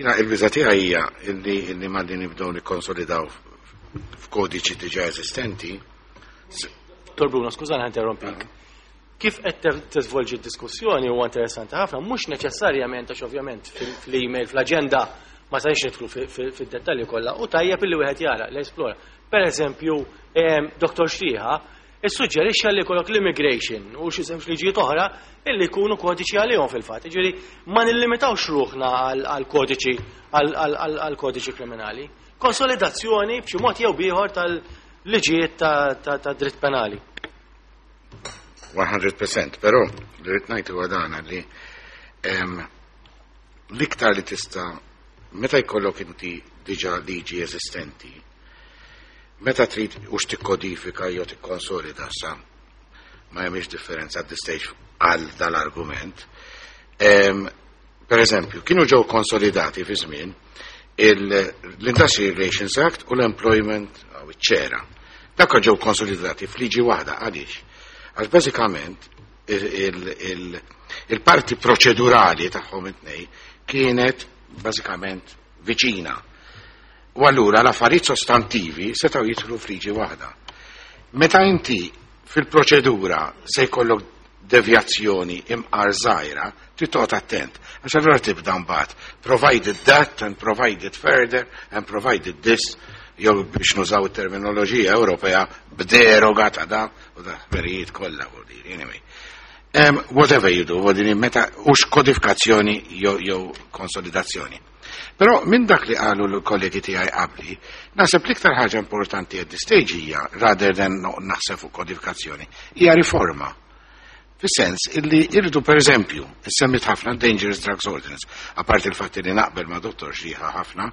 Jiena il-biża tiegħi hija illi illi malli nibdew nikkonsolidaw f'kodiċi diġà eżistenti. Dottor Bruno, skużani interrompik. Kif qed tiżvolġi d-diskussjoni huwa interessanti ħafna, mhux neċessarjament għax ovvjament fl-email, fl-aġenda ma sajx nidħlu fid-dettalji kollha u tajjeb illi wieħed jara, li esplora. Per eżempju, Dottor Xrieħa issuġġerixxa li jkollok l-immigration u xi żewġ liġijiet oħra illi jkunu kodiċi għalihom fil-fatt. Jiġifieri ma nillimitawx ruħna għal kodiċi għal kodiċi kriminali. Konsolidazzjoni b'xi mod jew bieħor tal-liġijiet ta' dritt penali. one hundred percent, però li rrid ngħid huwa dan li l-iktar li tista' meta jkollok inti diġà liġi eżistenti, meta trid ux tikkodifika jew tikkonsolida, sa ma hemmx differenza at this stage għal dal-argument. Per eżempju, kienu ġew konsolidati fi żmien l-Industrial Relations Act u l-Employment u ċ-ċera. Dak ġew konsolidati f'liġi waħda. Għaliex? Għax bażikament il-parti proċedurali tagħhom it-tnejn kienet bażikament viċina. U allura l-affarijiet sostantivi setgħu jidħlu f'liġi waħda. Meta inti fil-proċedura se jkollok devjazzjoni imqar żgħira, trid toqgħod attent. Għax allura tibda mbagħad provided that and provided further and provided this, jew biex nużaw it-terminoloġija Ewropea, b'deroga ta' da u da verijiet kollha, vuol dire, anyway. Um, whatever you do, vuol dire, meta hux kodifikazzjoni jew jew konsolidazzjoni. Però minn dak li qalu l-kollegi tiegħi qabli, naħseb l-iktar ħaġa importanti at this stage hija, rather than naħseb fuq kodifikazzjoni, hija riforma. Fis-sens illi irridu, per eżempju, semmit ħafna Dangerous Drugs Ordinance, apart il-fatt li naqbel ma' Dottor Xrieħa ħafna,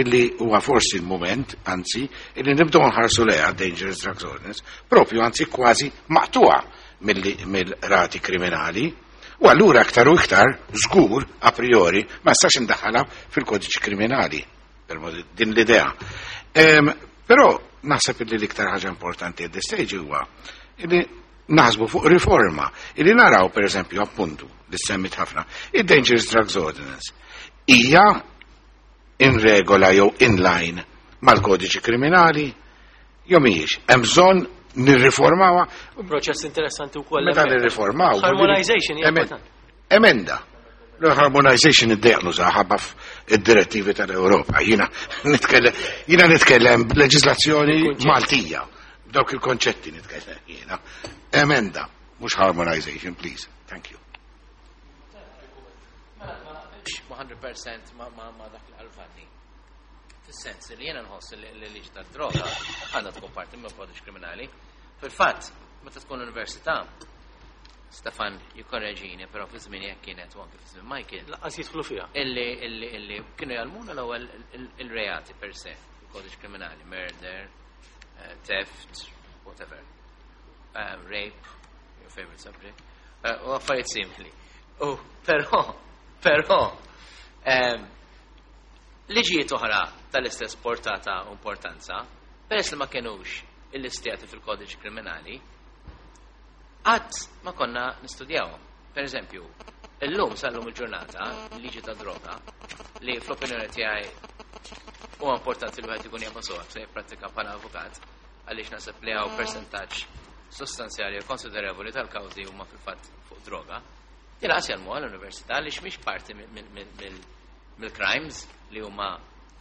illi huwa forsi il-moment, anzi, illi nibdew nħarsu lejha Dangerous Drugs Ordinance, propju anzi kważi maqtuha mill-rati kriminali. U allura aktar u iktar, żgur, a priori, ma stax indaħħalha fil-kodiċi kriminali, per din l-idea. Però naħseb illi l-iktar ħaġa importanti at this stage huwa illi naħsbu fuq riforma, illi naraw, per eżempju, appuntu, li semmit ħafna, il-Dangerous Drugs Ordinance. Hija in regola jew in line mal-kodiċi kriminali, jew mhijiex? Hemm bżonn nirriformawha. Proċess interessanti wkoll. Meta nirriformaw. Harmonization hija importanti. Emenda. L-harmonization id-dejq nuża ħabba id-direttivi tal-Ewropa. Jiena nitkellem jiena nitkellem leġislazzjoni Maltija. Dawk il-konċetti nitkellem jiena. Emenda, mhux harmonization, please. Thank you. mija fil-mija ma ma ma dak l-Alfanni. Fis-sens li jiena nħoss li l-liġi tad-droga għandha tkun parti mill kodiċ kriminali. Fil-fatt, meta tkun l-università, Stefan jikkorreġini, però fi żmien jekk kienet u anke fi żmien Michael. Lanqas jidħlu fiha. Illi illi illi kienu jgħallmuna l-ewwel il-reati per se, il-kodiċ kriminali, murder, eh, theft, whatever, uh, rape, your favorite subject, uh, u affarijiet simili. U però, però, um, liġijiet oħra tal-istess portata u importanza, peress li ma kienux illistjati fil-kodiċ kriminali, qatt ma konna nistudjawhom. Per eżempju, illum sal-lum il-ġurnata, liġi ta' droga, li fl-opinjoni tiegħi huwa importanti li wieħed ikun jafha sew se jipprattika bħala avukat, għaliex naħseb li hawn persentaġġ sostanzjali u konsiderevoli tal-kawżi huma fil-fatt fuq droga. Din lanqas jgħallmuha l-università li mhix parti mill-crimes li huma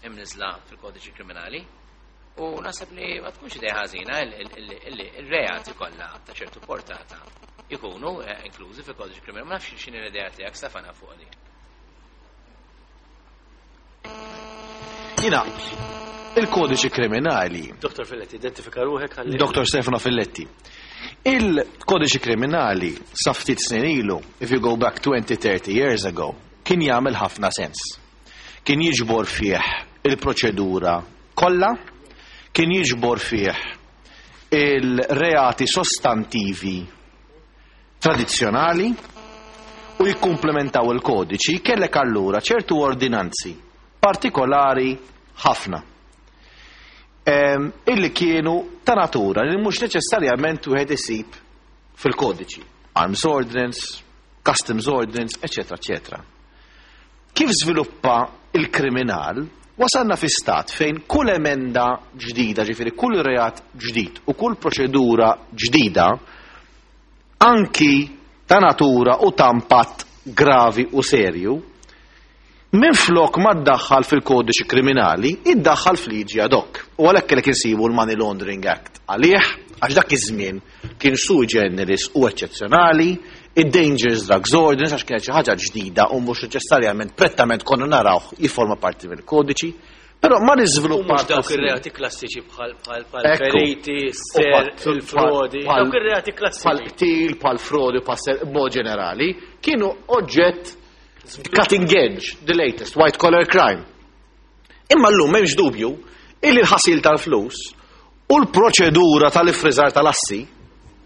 imniżla fil-kodiċi kriminali. U naħseb li ma tkunx idea ħażina illi il-reati kollha ta' ċertu portata ikunu eh, inklużi fil-kodiċi kriminali. Ma nafx x'inhi l-idea tiegħek, Stefana, fuq di. Jiena, il-kodiċi kriminali. Dottor Filletti, identifika ruħek ħalli. Dottor Stefano Filletti. Il-kodiċi kriminali sa ftit snin ilu, if you go back twenty, thirty years ago, kien jagħmel ħafna sens. Kien jiġbor fih il-proċedura kollha, kien jiġbor fih il-reati sostantivi tradizzjonali u jikkumplementaw il-kodiċi. Kellek allura ċertu ordinanzi partikolari ħafna Em, illi kienu ta' natura li mhux neċessarjament wieħed isib fil-kodiċi. Arms Ordinance, Customs Ordinance, eccetera, eccetera. Kif żviluppa il-kriminal, wasalna fi stat fejn kull emenda ġdida, ġifieri kull reat ġdid u kull proċedura ġdida, anki ta' natura u ta' impatt gravi u serju, minflok ma ddaħħal fil-kodiċi kriminali, iddaħħal f'liġi ad hoc. U għalhekk kellek insibu l-Money Laundering Act għalih, għax dak iż-żmien kien sui generis u eċċezzjonali, id-Dangerous Drugs Ordinance għax kienet xi ħaġa ġdida u mhux neċessarjament prettament konna narawh jifforma parti mill-kodiċi, però ma U niżviluppa mhux dawk ir-reati klassiċi bħal bħal bħal Ekku. feriti, ser, il-frodi, dawk ir-reati klassiċi. Bħal qtil, bħal frodi, bħal ser, b'mod ġenerali, kienu oġġett cutting edge, the latest, white collar crime. Imma llum m'hemmx dubju illi l-ħasil tal-flus u l-proċedura tal-ifriżar tal-assi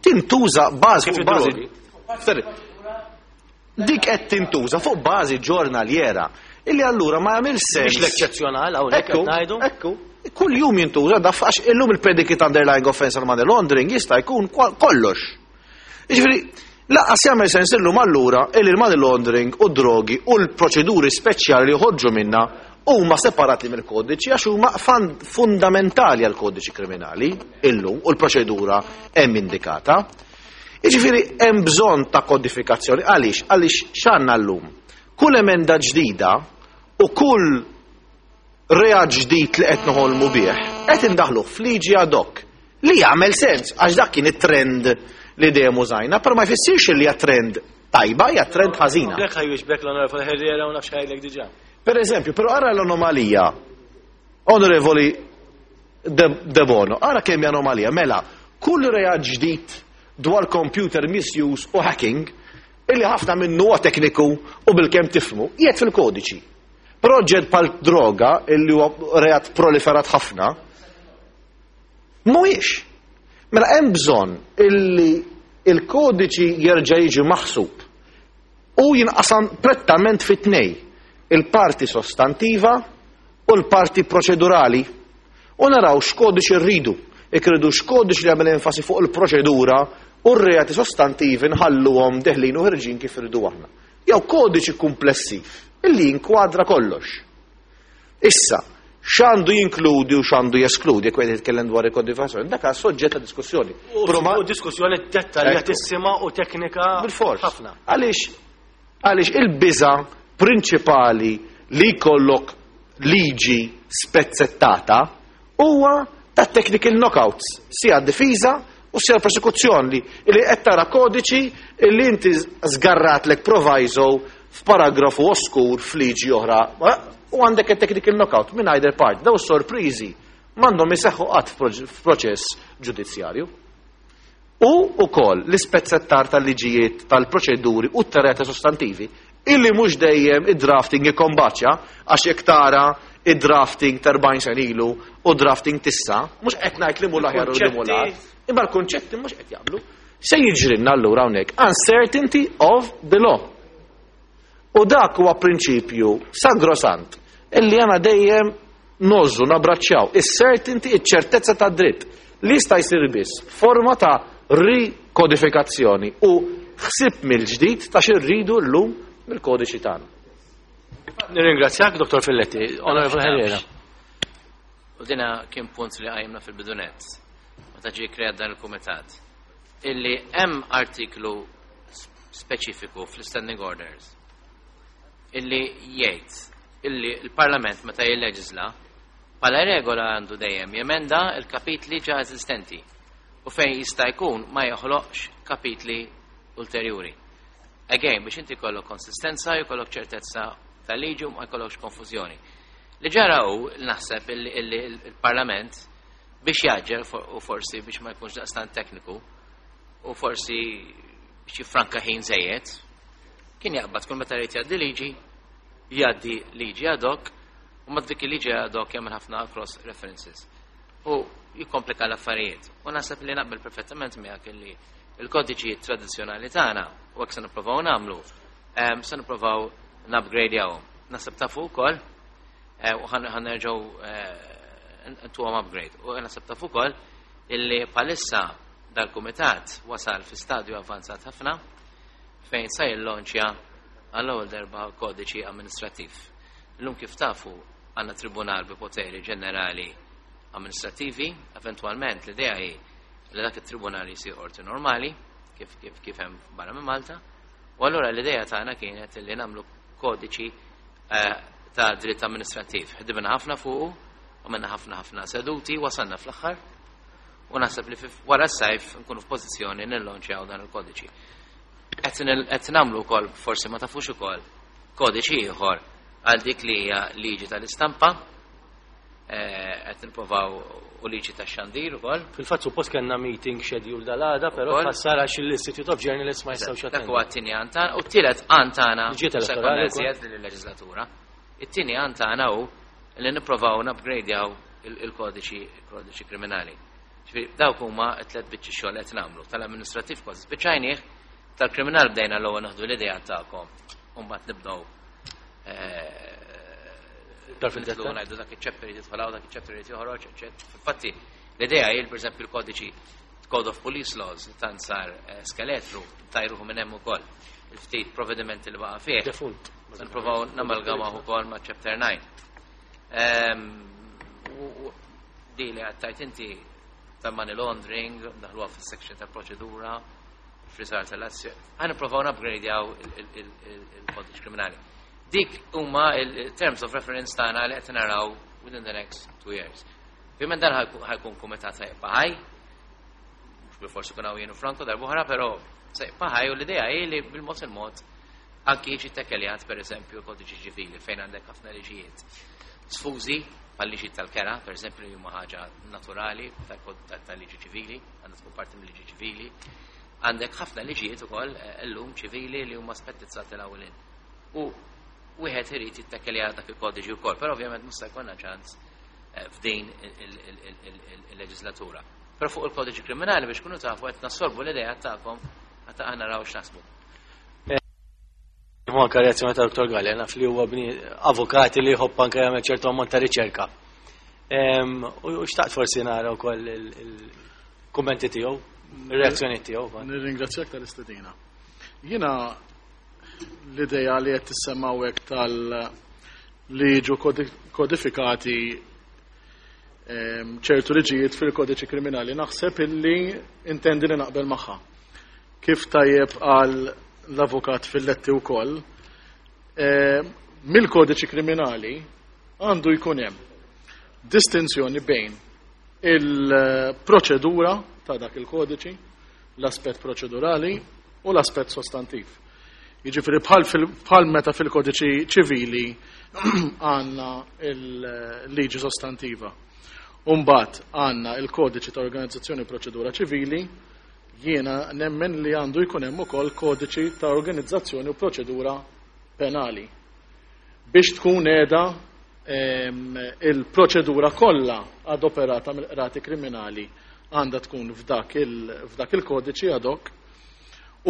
tintuża bażi Kif fuq bażi. id-drogi? Sorry. Dik qed tintuża fuq bażi ġornaliera illi allura ma jagħmel sens. Mhix l-eċċezzjonal hawnhekk Ekku, qed ngħidu. ekku. Kull jum jintuża daf għax illum il-predicate underlying offense għal money laundering jista' jkun kwa- kollox. Jiġifieri, lanqas jagħmel sens illum allura illi l-money laundering u drogi u l-proċeduri speċjali li joħorġu minna huma separati mill-kodiċi għax huma fan- fundamentali għal kodiċi kriminali illum u l-proċedura hemm indikata. Jiġifieri hemm bżonn ta' kodifikazzjoni. Għaliex? Għaliex x'għandna llum? Kull emenda ġdida u kull reat ġdid li qed noħolmu bih, qed indaħluh f'liġi ad hoc li jagħmel sens għax dak kien it-trend li dejjem użajna, però ma jfissirx li hija trend tajba, hija trend ħażina. Lek ħa jwieġbek l-Onorevoli Herrera u nafx ħajlek diġà. Per eżempju, però ara l-anomalija, Onorevoli De, De Bono, ara kemm hija anomalija, mela, kull reat ġdid dwar computer misuse u hacking, illi ħafna minnu huwa tekniku u bilkemm tifhmu, qiegħed fil-kodiċi. Proġett bħal droga, illi huwa reat proliferat ħafna, mhuwiex. Mela hemm bżonn illi il-kodiċi jerġa' jiġi maħsub u jinqasam prettament fit tnej, il-parti sostantiva u l-parti proċedurali. U naraw x'kodiċi rridu. Ikridu x'kodiċi li jagħmel enfasi fuq il-proċedura u r-reati sostantivi nħalluhom deħlin u ħerġin kif irridu aħna. Jew kodiċi komplessiv illi jinkwadra kollox. Issa, x'għandu jinkludi u x'għandu jeskludi, jekk qed jitkellem dwar il-kodifikazzjoni, dak soġġett ta' diskussjoni. U Però ma- u diskussjoni dettaljatissima u teknika Bil-fors. ħafna. Għaliex għaliex il-biża prinċipali li jkollok liġi spezzettata huwa ta' technical knockouts, sia difiża u sia prosekuzzjoni li li qed tara kodiċi li inti żgarratlek proviso f'paragrafu oskur f'liġi oħra u għandek il-technical knockout minn either part. Daw sorpriżi m'għandhom iseħħu qatt f'proċess ġudizzjarju. U ukoll l-ispezzettar tal-liġijiet tal-proċeduri u t-reati sostantivi illi mhux dejjem id-drafting ikkombaċja, għax jekk tara id-drafting ta' erbgħin sena ilu u drafting t'issa, mhux qed ngħid li mhu l-aħjar u li mhu l-agħar, imma l-kunċetti mhux qed jaqblu. Se jiġrilna allura hawnhekk uncertainty of the law. U dak huwa prinċipju sagrosant illi għana dejjem nożu nabraċċjaw is-certainty, iċ-ċertezza ta' dritt li jista' jsir biss forma ta' rikodifikazzjoni u ħsib mill-ġdid ta' xi rridu llum mill-kodiċi tagħna. Nirringrazzjak, Dottor Filletti. Onorevole Herrera. U dina kien punt li qajjimna fil-bidu nett, meta ġie kreat dan il-kumitat, illi hemm artiklu speċifiku fl-Standing Orders illi jgħid illi il-Parlament meta jilleġisla bħala regola għandu dejjem jemenda il-kapitli ġa eżistenti u fejn jista' jkun ma joħloqx kapitli ulterjuri. Again, biex inti jkollok konsistenza, jkollok ċertezza tal-liġi u ma jkollokx konfużjoni. Li ġara hu naħseb illi il-Parlament biex jgħaġġel u forsi biex ma jkunx daqstant tekniku u forsi biex jiffranka ħin żejjed, kien jaqbad kull meta jrid jgħaddi liġi, jgħaddi liġi ad hoc u ma dik il-liġi ad hoc jagħmel ħafna cross references. U jikkomplika l-affarijiet. U naħseb li naqbel perfettament miegħek illi il-kodiċi tradizzjonali tagħna u hekk se nippruvaw nagħmlu, se nippruvaw nupgradejawhom. Naħseb tafu wkoll eh, u ħa nerġgħu eh, ntuhom upgrade. U naħseb tafu wkoll illi bħalissa dal-kumitat wasal fi stadju avvanzat ħafna fejn sa jillonċja għall-ewwel darba kodiċi amministrattiv. Illum kif tafu għandna tribunal bi poteri ġenerali amministrativi, eventualment l-idea hi li dak it-tribunal jisir qorti normali, kif kif kif hemm barra minn Malta, u allura l-idea tagħna kienet li nagħmlu kodiċi eh, ta' dritt amministrattiv. Ħdimna ħafna fuqu, għamilna ħafna ħafna seduti, wasalna fl-aħħar, u naħseb li wara s-sajf nkunu f'pożizzjoni nillonċjaw dan il-kodiċi. Qed nagħmlu wkoll, forsi ma tafux ukoll, kodiċi ieħor għal dik li hija liġi tal-istampa, eh, qed nippruvaw u liġi tax-xandir ukoll. Fil-fatt suppost kellna meeting schedule dal-għada, però Ukoll. tħassar għax l-Institute of Journalists ma jistgħux Dak jattendu. huwa t-tieni għan tagħna u t-tielet għan tagħna Liġijiet se elettorali jkollna wkoll. iżjed lill-leġislatura. It-tieni għan tagħna hu li nipprovaw nupgradejaw il-kodiċi il-kodiċi kriminali. Ġifieri dawk huma t-tliet biċċi xogħol qed nagħmlu. Tal-amministrattiv kważi spiċċajnieh, tal-kriminal bdejna l-ewwel naħdu l-idea tagħkom u mbagħad nibdew eh, Iktar nidħlu fid-dettall. ngħidu dak iċ-chapter irid jidħol hawn, dak iċ-chapter irid joħroġ, eċċetera. Infatti l-idea hi pereżempju l-kodiċi Code of Police Laws li tant sar eh, skeletru tajruhu minn hemm ukoll il-ftit provvedimenti li baqa' fih. Defunt. Se nippruvaw namalgamaw ukoll ma' chapter nine. Ehm, u- u Di li għattajt inti ta' money laundering, daħluha fis-section ta' proċedura, frisar tal-azzjoni. Ħa nippruvaw nupgradejaw il-kodiċi kriminali. Dik huma il-terms of reference tagħna li qed naraw within the next two years. Ovvjament dan ħa jkun- ħa jkun kumitat ħa jibqa' ħaj, mhux bilfors ikun hawn jien u Franco darb'oħra, però se jibqa' ħaj u l-idea hi li bil-mod il-mod anki jiġi tekkeljat per eżempju l-kodiċi ċivili fejn għandek ħafna liġijiet. Sfużi bħal-liġi tal-kera, per eżempju, li huma ħaġa naturali tal-liġi ċivili, għandha tkun parti mill-liġi ċivili. Għandek ħafna liġijiet ukoll eh, illum ċivili li huma spettizzati l-ewwelin. U wieħed irid jittekkelja dak il-kodiċi wkoll, però ovvjament mhux se jkollna ċans eh, f'din il-leġislatura. Però fuq il-kodiċi kriminali biex kunu tafu qed nassorbu l-idea tagħkom ħatta aħna naraw x'naħsbu. Hu anka reazzjoni ta' Dottor Galea, naf li huwa bni avukati li jħobb anke jagħmel ċertu ammont ta' riċerka. Em, U u xtaqt forsi nara wkoll il-kummenti tiegħu, ir-reazzjoni tiegħu. Nirringrazzjak tal-istedina. Jiena l-ideja li qed tissemma hekk tal li jiġu kodi- kodifikati em, ċertu liġijiet fil-kodiċi kriminali naħseb illi intendi li naqbel magħha. Kif tajjeb għal l-avukat Filletti wkoll, em, mill-kodiċi kriminali għandu jkun hemm distinzjoni bejn il-proċedura ta' dak il-kodiċi, l-aspett proċedurali u l-aspett sostantiv. Jiġifieri bħal fil- bħal meta fil-kodiċi ċivili għandna il-liġi sostantiva. Umbagħad għandna il-kodiċi ta' organizzazzjoni u proċedura ċivili, jiena nemmen li għandu jkun hemm ukoll kodiċi ta' organizzazzjoni u proċedura penali. Biex tkun qiegħda em, il-proċedura kollha adoperata mill-qrati kriminali għandha tkun f'dak il- f'dak il-kodiċi ad hoc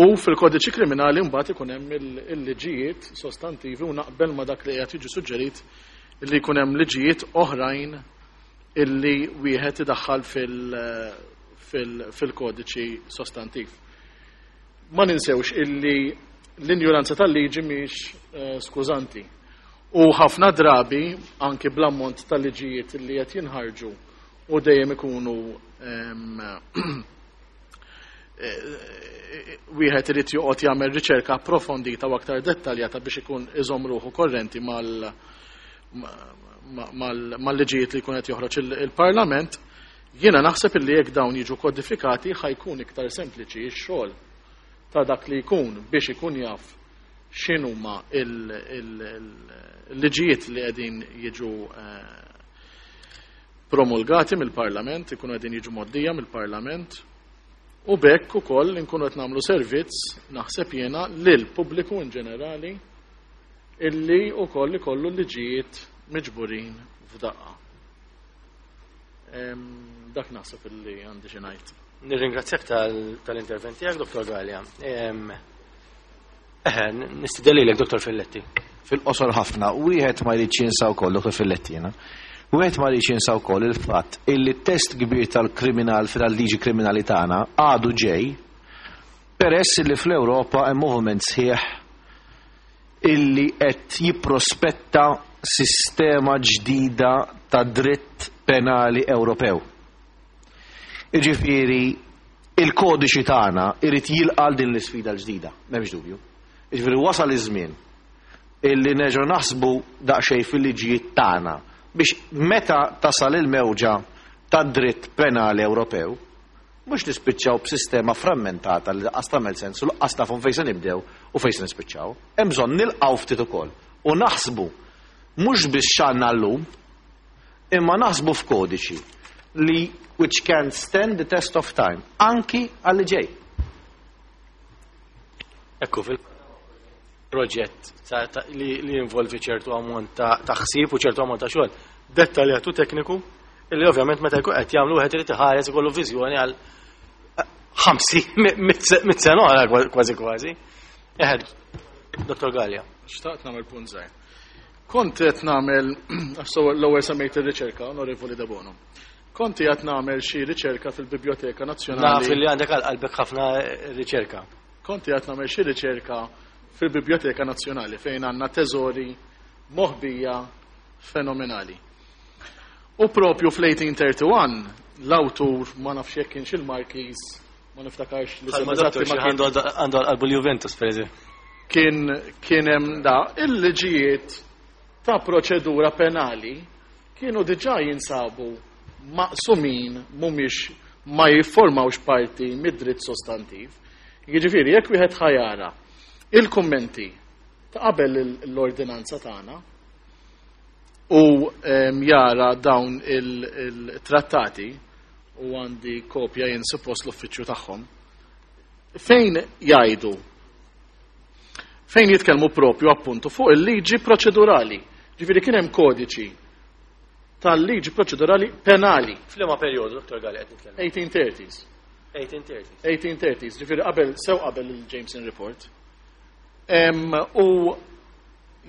u fil-kodiċi kriminali mbagħad ikun hemm il- il-liġijiet sostantivi u naqbel ma dak li qed jiġi suġġerit li jkun hemm liġijiet oħrajn illi wieħed idaħħal fil- fil- fil-kodiċi sostantiv. Ma ninsewx illi l-injuranza tal-liġi mhix eh, skużanti. U ħafna drabi, anki bl-ammont tal-liġijiet li qed jinħarġu u dejjem ikunu em, eh, wieħed irid joqgħod jagħmel riċerka approfondita u aktar dettaljata biex ikun iżomm ruħu korrenti mal ma- mal- mal-liġijiet li jkun qed joħroġ il- il-Parlament, jiena naħseb illi jekk dawn jiġu kodifikati ħa jkun iktar sempliċi x-xogħol ta' dak li jkun biex ikun jaf x'inhuma il-liġijiet li qegħdin jiġu eh, promulgati mill-Parlament, ikunu qegħdin jiġu mgħoddija mill-Parlament, u b'hekk ukoll inkunu qed nagħmlu servizz, naħseb jiena, lil pubbliku in ġenerali illi wkoll ikollu liġijiet miġburin f'daqqa. Dak naħseb illi għandi xi ngħid. Nirringrazzjak tal-intervent tiegħek, Dottor Galea. Eħe, nistieden lilek, Dottor Filletti. Fil-qosor ħafna, wieħed ma jridx jinsa wkoll, Dottor Filletti jiena. Wieħed ma jridx jinsa wkoll il-fatt illi test kbir tal-kriminal tal-liġi kriminali tagħna għadu ġej peress li fl-Ewropa hemm moviment sħiħ illi qed jipprospetta sistema ġdida ta' dritt penali Ewropew. Iġifieri il-kodiċi tagħna irid jilqa' din l-isfida l-ġdida, m'hemmx dubju. Iġifieri wasal iż-żmien illi nerġgħu naħsbu daqsxejn fil-liġijiet tagħna biex meta tasal il-mewġa ta' dritt penali Ewropew, mhux nispiċċaw b'sistema frammentata li lanqas tagħmel sens u lanqas nafu fejn se nibdew u fejn se nispiċċaw. Hemm bżonn nilqgħu ftit ukoll u naħsbu mhux biss x'għandna llum, imma naħsbu f'kodiċi li which can stand the test of time, anki għalli ġej. Ekku, fil-proġett li jinvolvi ċertu ammont ta' ħsieb u ċertu ammont ta' xogħol dettaljat u tekniku, illi ovvjament meta jkun qed jagħmlu wieħed irid iħares ikollu viżjoni għal ħamsin mitt sena oħra kważi kważi. Eħed, Dottor Galea. Xtaqt nagħmel punt żgħir. Kont qed nagħmel, l-ewwel semmejt ir-riċerka, Onorevoli Debono. Kont qed nagħmel xi riċerka fil-Biblioteka Nazzjonali. Naf li għandek għal qalbek ħafna riċerka. Kont qed nagħmel xi riċerka fil-Biblioteka Nazzjonali fejn għandna teżori moħbija fenomenali. U propju fl-eighteen thirty-one l-awtur, ma nafx jekk kienx il-Marquis, ma niftakarx li Bħalma semma doktor eżatti ma xi kien għandu għandu għal qalbu l-Juventus, per eżempju. Kien, kien hemm da il-liġijiet ta' proċedura penali kienu diġà jinsabu maqsumin, mhumiex ma jiffurmawx parti mid-dritt sostantiv. Jiġifieri jekk wieħed ħajara il-kummenti ta' qabel l-ordinanza tagħna u, em, jara dawn il-trattati, u għandi kopja jien suppost l-uffiċċju tagħhom, fejn jgħidu, fejn jitkellmu propju appuntu fuq il-liġi proċedurali. Ġifieri kien hemm kodiċi tal-liġi proċedurali penali. F'liema perjodu, Dottor Galea, qed nitkellem? eighteen thirties. eighteen thirties. eighteen thirties, ġifieri qabel, sew qabel il-Jameson Report. Em, u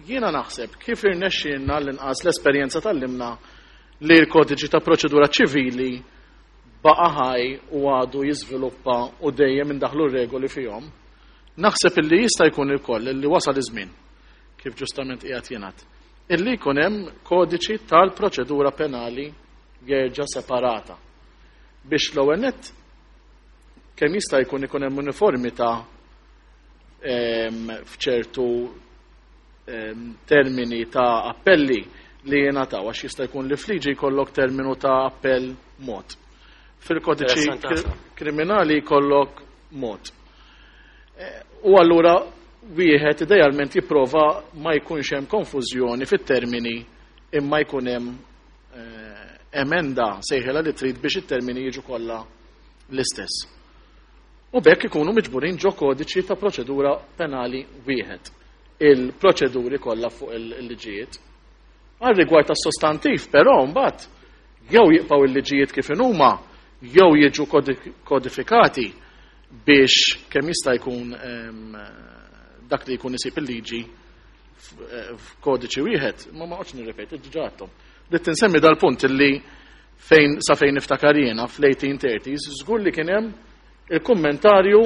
jiena naħseb kif irnexxielna l-inqas l-esperjenza tal-limna li l-kodiċi ta' proċedura ċivili baqa' ħaj u għadu jiżviluppa u dejjem indaħlu regoli fihom. Naħseb illi jista' jkun ukoll illi wasal iż-żmien, kif ġustament qiegħed jingħad, illi jkun hemm kodiċi tal-proċedura penali jerġa' separata. Biex l-ewwel nett kemm jista' jkun ikun hemm uniformità, em, f'ċertu, em, termini ta' appelli li jingħataw, għax jista' jkun li fliġi jkollok terminu ta' appell mod. Fil-kodiċi Interessanti ħafna. kri-, kriminali jkollok mod. Eh, u allura wieħed idealment jipprova ma jkunx hemm konfużjoni fit-termini, imma jkun hemm, eh, emenda sejħela li trid biex it-termini jiġu kollha l-istess. U b'hekk ikunu miġburin ġo kodiċi ta' proċedura penali wieħed. Il-proċeduri kollha fuq il-liġijiet. Għal rigward tas-sostantiv, però mbagħad jew jibqgħu il-liġijiet kif inhuma, jew jiġu kodi-, kodifikati biex kemm jista' jkun, em, dak li jkun isib il-liġi f-, eh, f'kodiċi wieħed, ma ma qgħodx nirrepeti, diġà għadthom. Ridt insemmi dal-punt illi fejn sa fejn niftakar jiena fl-eighteen thirties, żgur li kien hemm il-kummentarju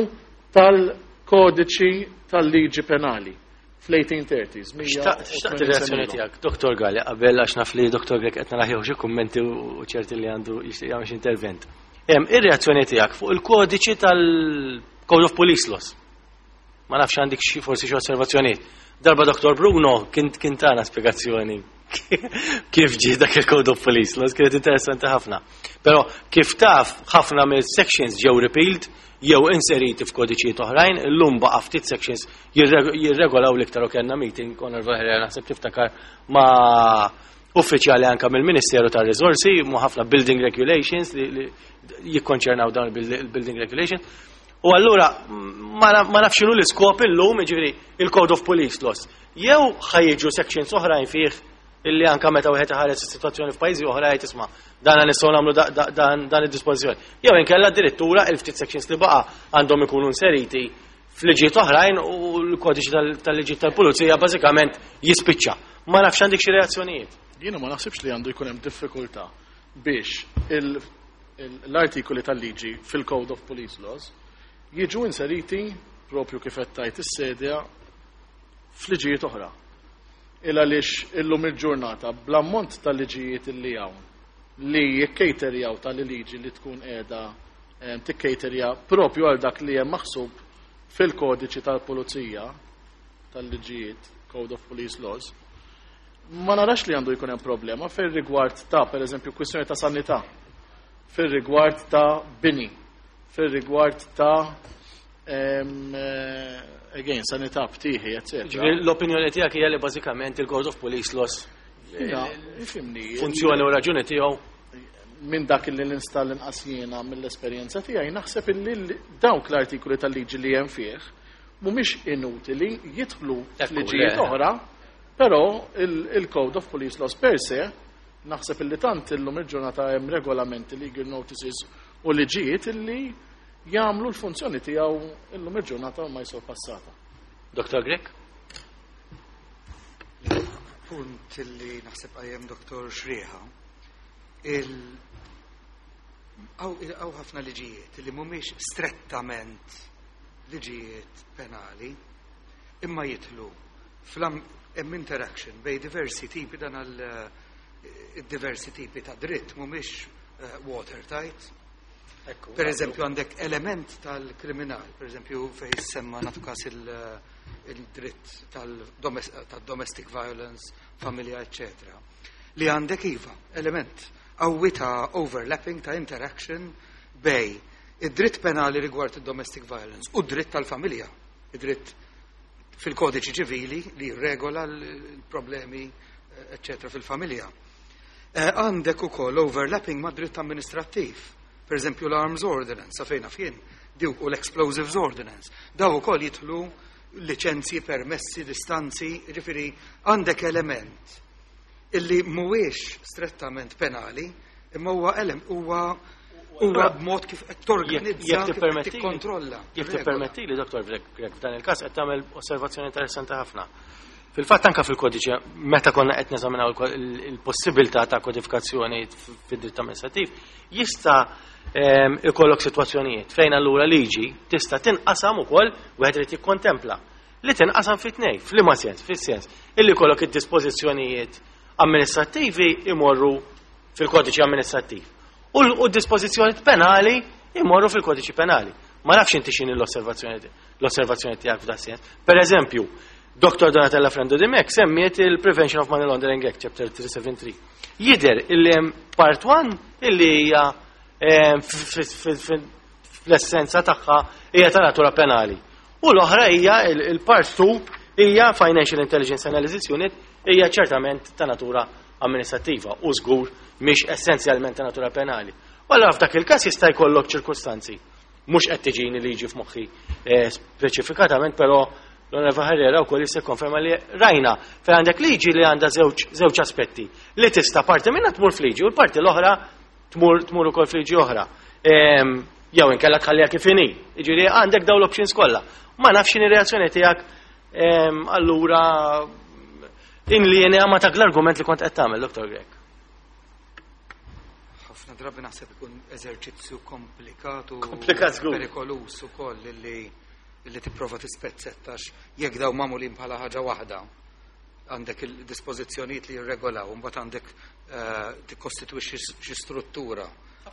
tal-kodiċi tal-liġi penali fl-eighteen thirties. Mija Xtaqt u xtaqt tmenin ir-reazzjoni sena ilu. tiegħek, Doktor Galea, qabel għax naf li Doktor Grech qed naraħ xi kummenti u ċerti li għandu jixtieq jagħmel xi intervent. Hemm ir-reazzjoni tiegħek fuq il-kodiċi tal-Code of Police Laws. Ma nafx għandek xi forsi xi osservazzjonijiet. Darba Doktor Bruno kien kien tana spjegazzjoni Kif ġie dak il-Code of Police Laws kienet interessanti ħafna. Però kif taf, ħafna mill-sections ġew repealed jew inseriti f'kodiċijiet oħrajn, illum baqa' ftit sections jirregolaw l-iktar u kellna meeting, Conor Herrera, naħseb tiftakar, ma' uffiċjali anka mill-Ministeru tar-Riżorsi, mu ħafna building regulations li jikkonċernaw dawn il-building regulations. U allura ma nafx x'inhu l-iskop illum, jiġifieri il-Code of Police Laws. Jew ħa jiġu sections oħrajn fih illi anka meta wieħed iħares is-sitwazzjoni f'pajjiżi oħra jgħid, "Isma', dan nistgħu nagħmlu dan id-dispożizzjoni." Jew inkella addirittura il-ftit sections li baqa' għandhom ikunu inseriti f'liġijiet oħrajn u l-kodiċi tal-liġijiet tal-pulizija bażikament jispiċċa. Ma nafx għandek xi reazzjonijiet. Jiena ma naħsibx li għandu jkun hemm diffikultà biex l-artikoli tal-liġi fil-Code of Police Laws jiġu inseriti propju kif qed tgħid is-sedja f'liġijiet oħra. Il għaliex illum il-ġurnata bl-ammont tal-liġijiet illi hawn li jikkejterjaw tal-liġi li tkun qiegħda tikkejterja propju għal dak li hemm maħsub fil-kodiċi tal-pulizija tal-liġijiet, Code of Police Laws, ma narax li għandu jkun hemm problema fir-rigward ta', pereżempju, kwistjoni ta' sanità, fir-rigward ta' bini, fir-rigward ta' eh, again, sanità, btieħi, eccetera. L-opinjoni tiegħek hija li bażikament il-Code of Police Laws ifhimni, funzjoni u raġuni tiegħu minn dak li nista' inqas jiena mill-esperjenza tiegħi, naħseb illi dawk l-artikoli tal-liġi li hemm fih mhumiex inutili jidħlu f'liġijiet oħra, però il-Code of Police Laws per se naħseb illi tant illum il-ġurnata hemm regolamenti, legal notices u liġijiet illi jagħmlu l-funzjoni tiegħu illum il-ġurnata ma jisol passata. Doktor Grech? Punt li naħseb qajjem Doktor Xrieħa, il hawn ħafna liġijiet li mhumiex strettament liġijiet penali, imma jidħlu hemm interaction bejn diversi tipi, dan għal eh, diversi tipi ta' dritt mhumiex eh, watertight. Per eżempju, għandek element tal-kriminal, per eżempju, fej semma natu kas il-dritt tal-domestic violence, familja, eccetera. Li għandek iva, element qawwi ta' overlapping, ta' interaction bejn id-dritt penali rigward il-domestic violence u d-dritt tal-familja, id-dritt fil-kodiċi ċivili li regola l-problemi, eccetera, fil-familja. Eh, għandek ukoll overlapping ma' dritt amministrattiv. Per eżempju, l-Arms Ordinance, sa fejna fien, dawk u l-Explosives Ordinance. Daw ukoll jidħlu liċenzji, permessi, distanzi, ġifieri għandek element illi mhuwiex strettament penali, imma huwa elem huwa huwa b'mod kif qed torganizza, Jekk kif qed tippermettili- tikkontrolla. Jekk tippermetti li, Doktor Grech, f'dan il-każ qed tagħmel osservazzjoni interessanti ħafna. Fil-fatt anka fil-kodiċi, meta konna qed neżaminaw il- il-possibilità ta' kodifikazzjoni fid-dritt amministrattiv, jista' ehm, ikollok sitwazzjonijiet fejn allura liġi tista' tinqasam ukoll, wieħed irid jikkontempla li tinqasam fi tnejn, f'liema sens, fis-sens illi jkollok id-dispożizzjonijiet amministrattivi imorru fil-kodiċi amministrattiv u l- u d-dispożizzjonijiet penali imorru fil-kodiċi penali. Ma nafx inti x'inhi l-osservazzjoni l-osservazzjoni tiegħek f'dan sens. Per eżempju, Doktor Donatella Frendo Dimech semmiet il-Prevention of Money Laundering Act, Chapter three seventy-three. Jidher illi hemm part one illi hija eh, f- f- f- fl-essenza tagħha hija ta' natura penali. U l-oħra hija il-part two, hija Financial Intelligence Analysis Unit, hija ċertament ta' natura amministrattiva u żgur mhix essenzjalment ta' natura penali. U allura f'dak il-każ jista' jkollok ċirkustanzi. Mhux qed tiġini liġi f'moħħi eh, speċifikatament, però l-Onorevoli Herrera wkoll jista' jikkonferma li rajna fejn għandek liġi li għandha żewġ żewġ aspetti li tista' parti minnha tmur f'liġi u l-parti l-oħra tmur tmur ukoll f'liġi oħra. Ehm, Jew inkella tħalliha kif inhi. Jiġifieri għandek dawn l-options kollha. Ma nafx x'inhi reazzjoni tiegħek ehm, allura in linea ma dak l-argument li kont qed tagħmel, Doktor Grech. Ħafna drabi naħseb ikun eżerċizzju komplikat u Komplikat żgur. perikolus ukoll illi illi tipprova tispezzettax jekk daw magħmulin bħala ħaġa waħda. Għandek il-dispożizzjonijiet li jirregolaw, mbagħad għandek eh, tikkostitwixxi xi struttura.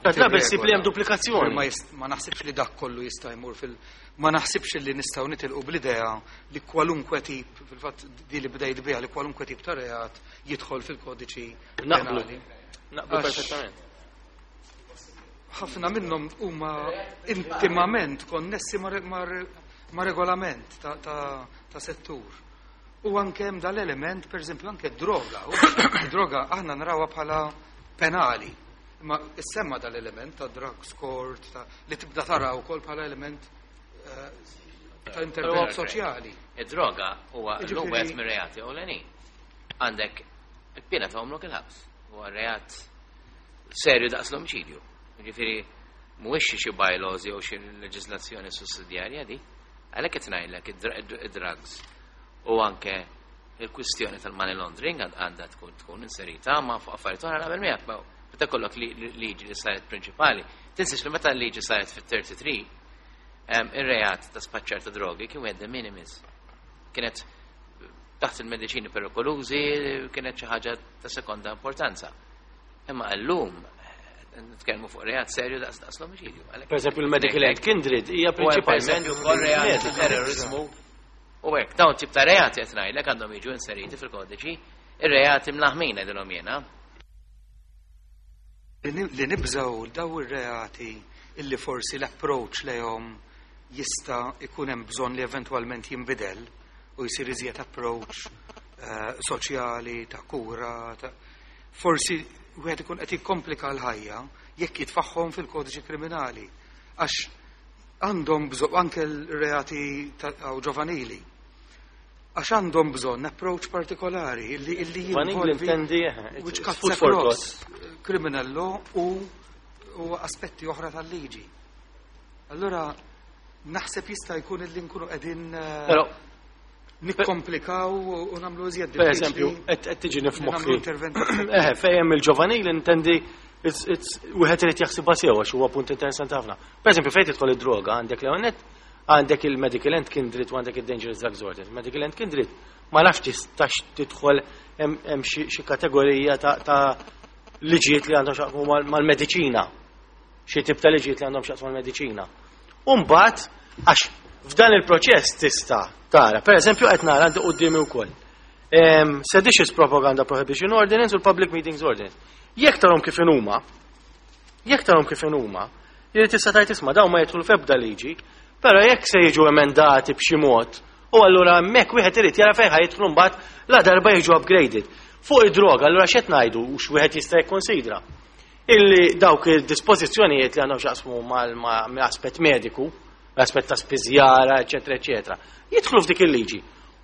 Drabi ssib li hemm duplikazzjoni. Ma, ma naħsibx li dak kollu jista' jmur fil- ma naħsibx li nistgħu nitilqu bl-idea li kwalunkwe tip, fil-fatt di li bdejt biha, li kwalunkwe tip ta' reat jidħol fil-kodiċi Naqblu. Naqblu perfettament. Ħafna minnhom huma intimament konnessi ma' regolament ta', ta, ta settur. U anke hemm dal-element, per eżempju, anke droga. Droga aħna narawha bħala penali. Imma issemma dal-element ta' drugs court, ta' li tibda tara wkoll bħala element eh, ta' intervent soċjali. Id-droga huwa l-lum wieħed mir-reati ewlenin. Għandek il-piena ta' għomrok il-ħabs. Huwa reat serju daqs l-omiċidju. Ġifieri mhuwiex xi bylaws jew xi leġislazzjoni sussidjarja di. Għalhekk qed ngħidlek id-drugs u anke il-kwistjoni tal-money laundering għandha tkun tkun inserita ma fuq affarijiet oħra naqbel miegħek. Meta kollok liġi li saret prinċipali, tinsiex li meta l-liġi saret fit-tlieta u tletin, ir-reat ta' spaċċar ta' drogi kien wieħed de minimis. Kienet taħt il-mediċini perikolużi, kienet xi ħaġa ta' sekonda importanza. Imma llum nitkellmu fuq reat serju daqs daqs l-omiċidju. Per eżempju, il-Medical and Kindred hija prinċipalment ukoll reat terrorizmu. U hekk dawn tip ta' reati qed ngħidlek għandhom jiġu inseriti fil-kodiċi, ir-reati mlaħmin ngħidilhom jiena. Li nibżaw daw ir-reati illi forsi l-approach lejhom jista' ikun hemm bżonn li eventwalment jinbidel u jsir iżjed approach uh, soċjali, ta' kura, ta' forsi wieħed ikun qed jikkomplika l-ħajja jekk jitfaħħom fil-kodiċi kriminali. Għax għandhom bżonn anke l-reati ġovanili. Għax għandhom bżonn approach partikolari illi illi jinvolvi which cuts across criminal law u u aspetti oħra tal-liġi. Allora naħseb jista' jkun illi nkunu qegħdin eh, nikkomplikaw u nagħmlu iżjed. Per eżempju, qed tiġi f'moħħi. Eh, fejn il-ġovanil intendi wieħed irid jaħsibha sew għax huwa punt interessanti ħafna. Per eżempju, fejn tidħol id-droga għandek l għandek il-Medical and Kindred u għandek il-Dangerous Drugs Ordinance. Medical and Kindred ma nafx tistax tidħol hemm xi kategorija ta' liġijiet li għandhom x'jaqsmu mal-mediċina. Xi tip ta' liġijiet li għandhom x'jaqsmu mal-mediċina. U mbagħad għax f'dan il-proċess tista' tara, per eżempju qed nara għandi quddiemi wkoll. Seditious Propaganda Prohibition Ordinance u l-Public Meetings Ordinance. Jekk tarhom kif huma, jekk tarhom kif huma, li tista' tgħid isma' dawn ma jidħlu f'ebda liġi, però jekk se jiġu emendati b'xi mod, u allura hemmhekk wieħed irid jara fejn jidħlu mbagħad la darba jiġu upgraded. Fuq id-droga, allura x'qed ngħidu u x'wieħed jista' jikkonsidra? Illi dawk il-dispożizzjonijiet li għandhom x'jaqsmu mal-aspett mediku, l-aspett ta' spiżjara, eċetera, eċetera, jidħlu f'dik il-liġi.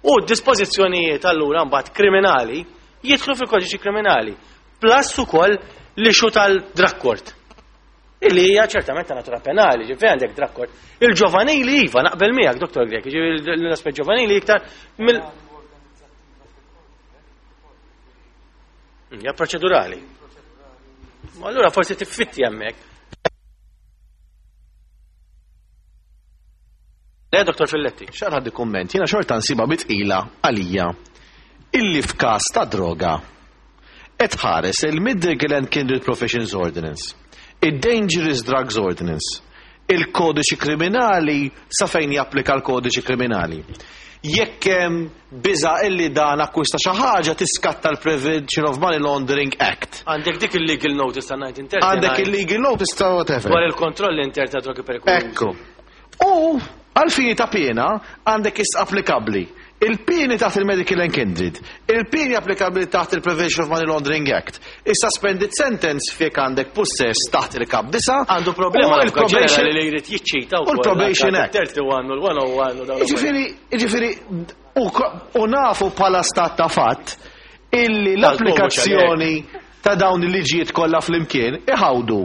U d-dispożizzjonijiet allura mbagħad kriminali jidħlu fil-kodiċi kriminali. Plus ukoll l-issue tal-drug court. Illi hija ċertament ta' natura penali, ġifieri għandek drug court. Il-ġovanili iva naqbel miegħek, Dottor Grech, ġifieri l-aspett ġovanili iktar mill Hija proċedurali. Ma allura forsi tiffitti hemmhekk. Le, Dottor Filletti. Xar ħaddi kumment, jiena xorta nsibha bitqila għalija illi f'każ ta' droga qed ħares il-Medical and Kindred Professions Ordinance, il-Dangerous Drugs Ordinance, il-kodiċi kriminali sa fejn japplika l-kodiċi kriminali. Jekk hemm biża illi dan akkwista xi ħaġa tiskatta l-Prevention of Money Laundering Act. Għandek dik il-legal notice ta' nineteen thirty-nine. Għandek il-legal notice ta' whatever. Dwar il-kontroll intern ta' drogi perikolużi. Ekku. U għal-fini ta' piena għandek is applikabbli il-pieni taħt il-Medical and Kindred, il-pieni applikabbli taħt il-Prevention of Money Laundering Act, il-suspended sentence fejn għandek possess taħt il-kap disa. Għandu problema u il-probation li jrid jiċċita u l-Probation Act. thirty-one u l-one oh one u dawn. Ġifieri, ġifieri, u u nafu bħala stat ta' fatt illi l-applikazzjoni ta' dawn il-liġijiet kollha flimkien iħawdu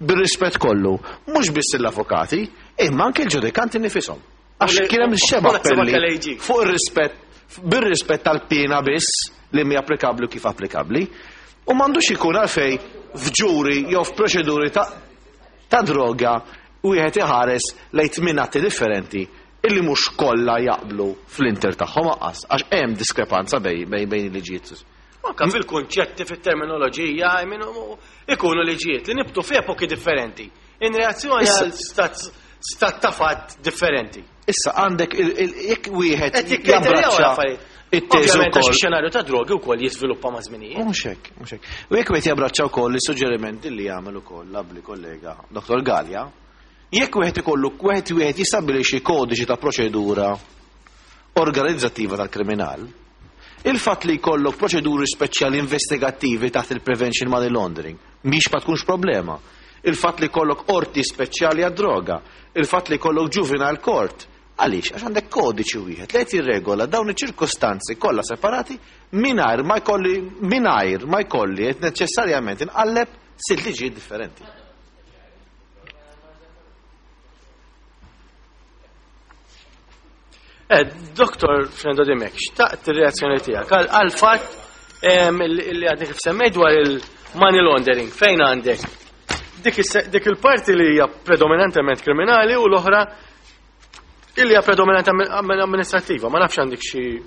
bir-rispett kollu, mhux biss l-avukati, imma anke l-ġudikanti nifisom. Għax kien hemm xeba appelli fuq ir-rispett, bir-rispett tal-piena biss li mi applikabbli u kif applikabbli. U m'għandux ikun għalfej f'ġuri jew f'proċeduri ta' ta' droga wieħed iħares lejn tmien atti differenti illi mhux kollha jaqblu fl-inter tagħhom aqqas, għax hemm diskrepanza bej bejn bejn il-liġijiet. Anka fil-kunċetti, fit-terminoloġija, I mean, u- ikunu liġijiet li nibtu f'epoki differenti. In reazzjoni Issa- għal stat stat ta' fatt differenti. Issa għandek il- il- jekk wieħed Qed jikkriterjaw jabbraċċa l-affarijiet. it-teżi Ovvjament għax wkoll. ix-xenarju ta' drogi wkoll jiżviluppa ma' żminijiet. Mhux hekk, mhux hekk. U jekk wieħed jabbraċċa wkoll is-suġġerimenti li jagħmel ukoll l-abbli kollega Dottor Gallia, jekk wieħed ikollu wieħed wieħed jistabbilixxi kodiċi ta' proċedura organizzattiva tal-kriminal, il-fatt li jkollok proċeduri speċjali investigattivi taħt il-Prevention Money Laundering mhix ma tkunx problema. Il-fatt li jkollok qorti speċjali għad-droga, il-fatt li jkollok juvenile court. Għaliex? Għax għandek kodiċi wieħed li qed jirregola dawn iċ-ċirkostanzi kollha separati mingħajr ma jkolli mingħajr ma jkolli qed neċessarjament inqalleb sitt liġijiet differenti. Eh, Doktor Frendo Dimech, xtaqt ir-reazzjoni tiegħek għal għal fatt em, li li għadni kif semmejt dwar il-money laundering, fejn għandek? Dik is- dik il-parti li hija predominantement kriminali u l-oħra illi hija predominantement amministrattiva. Ma nafx għandek xi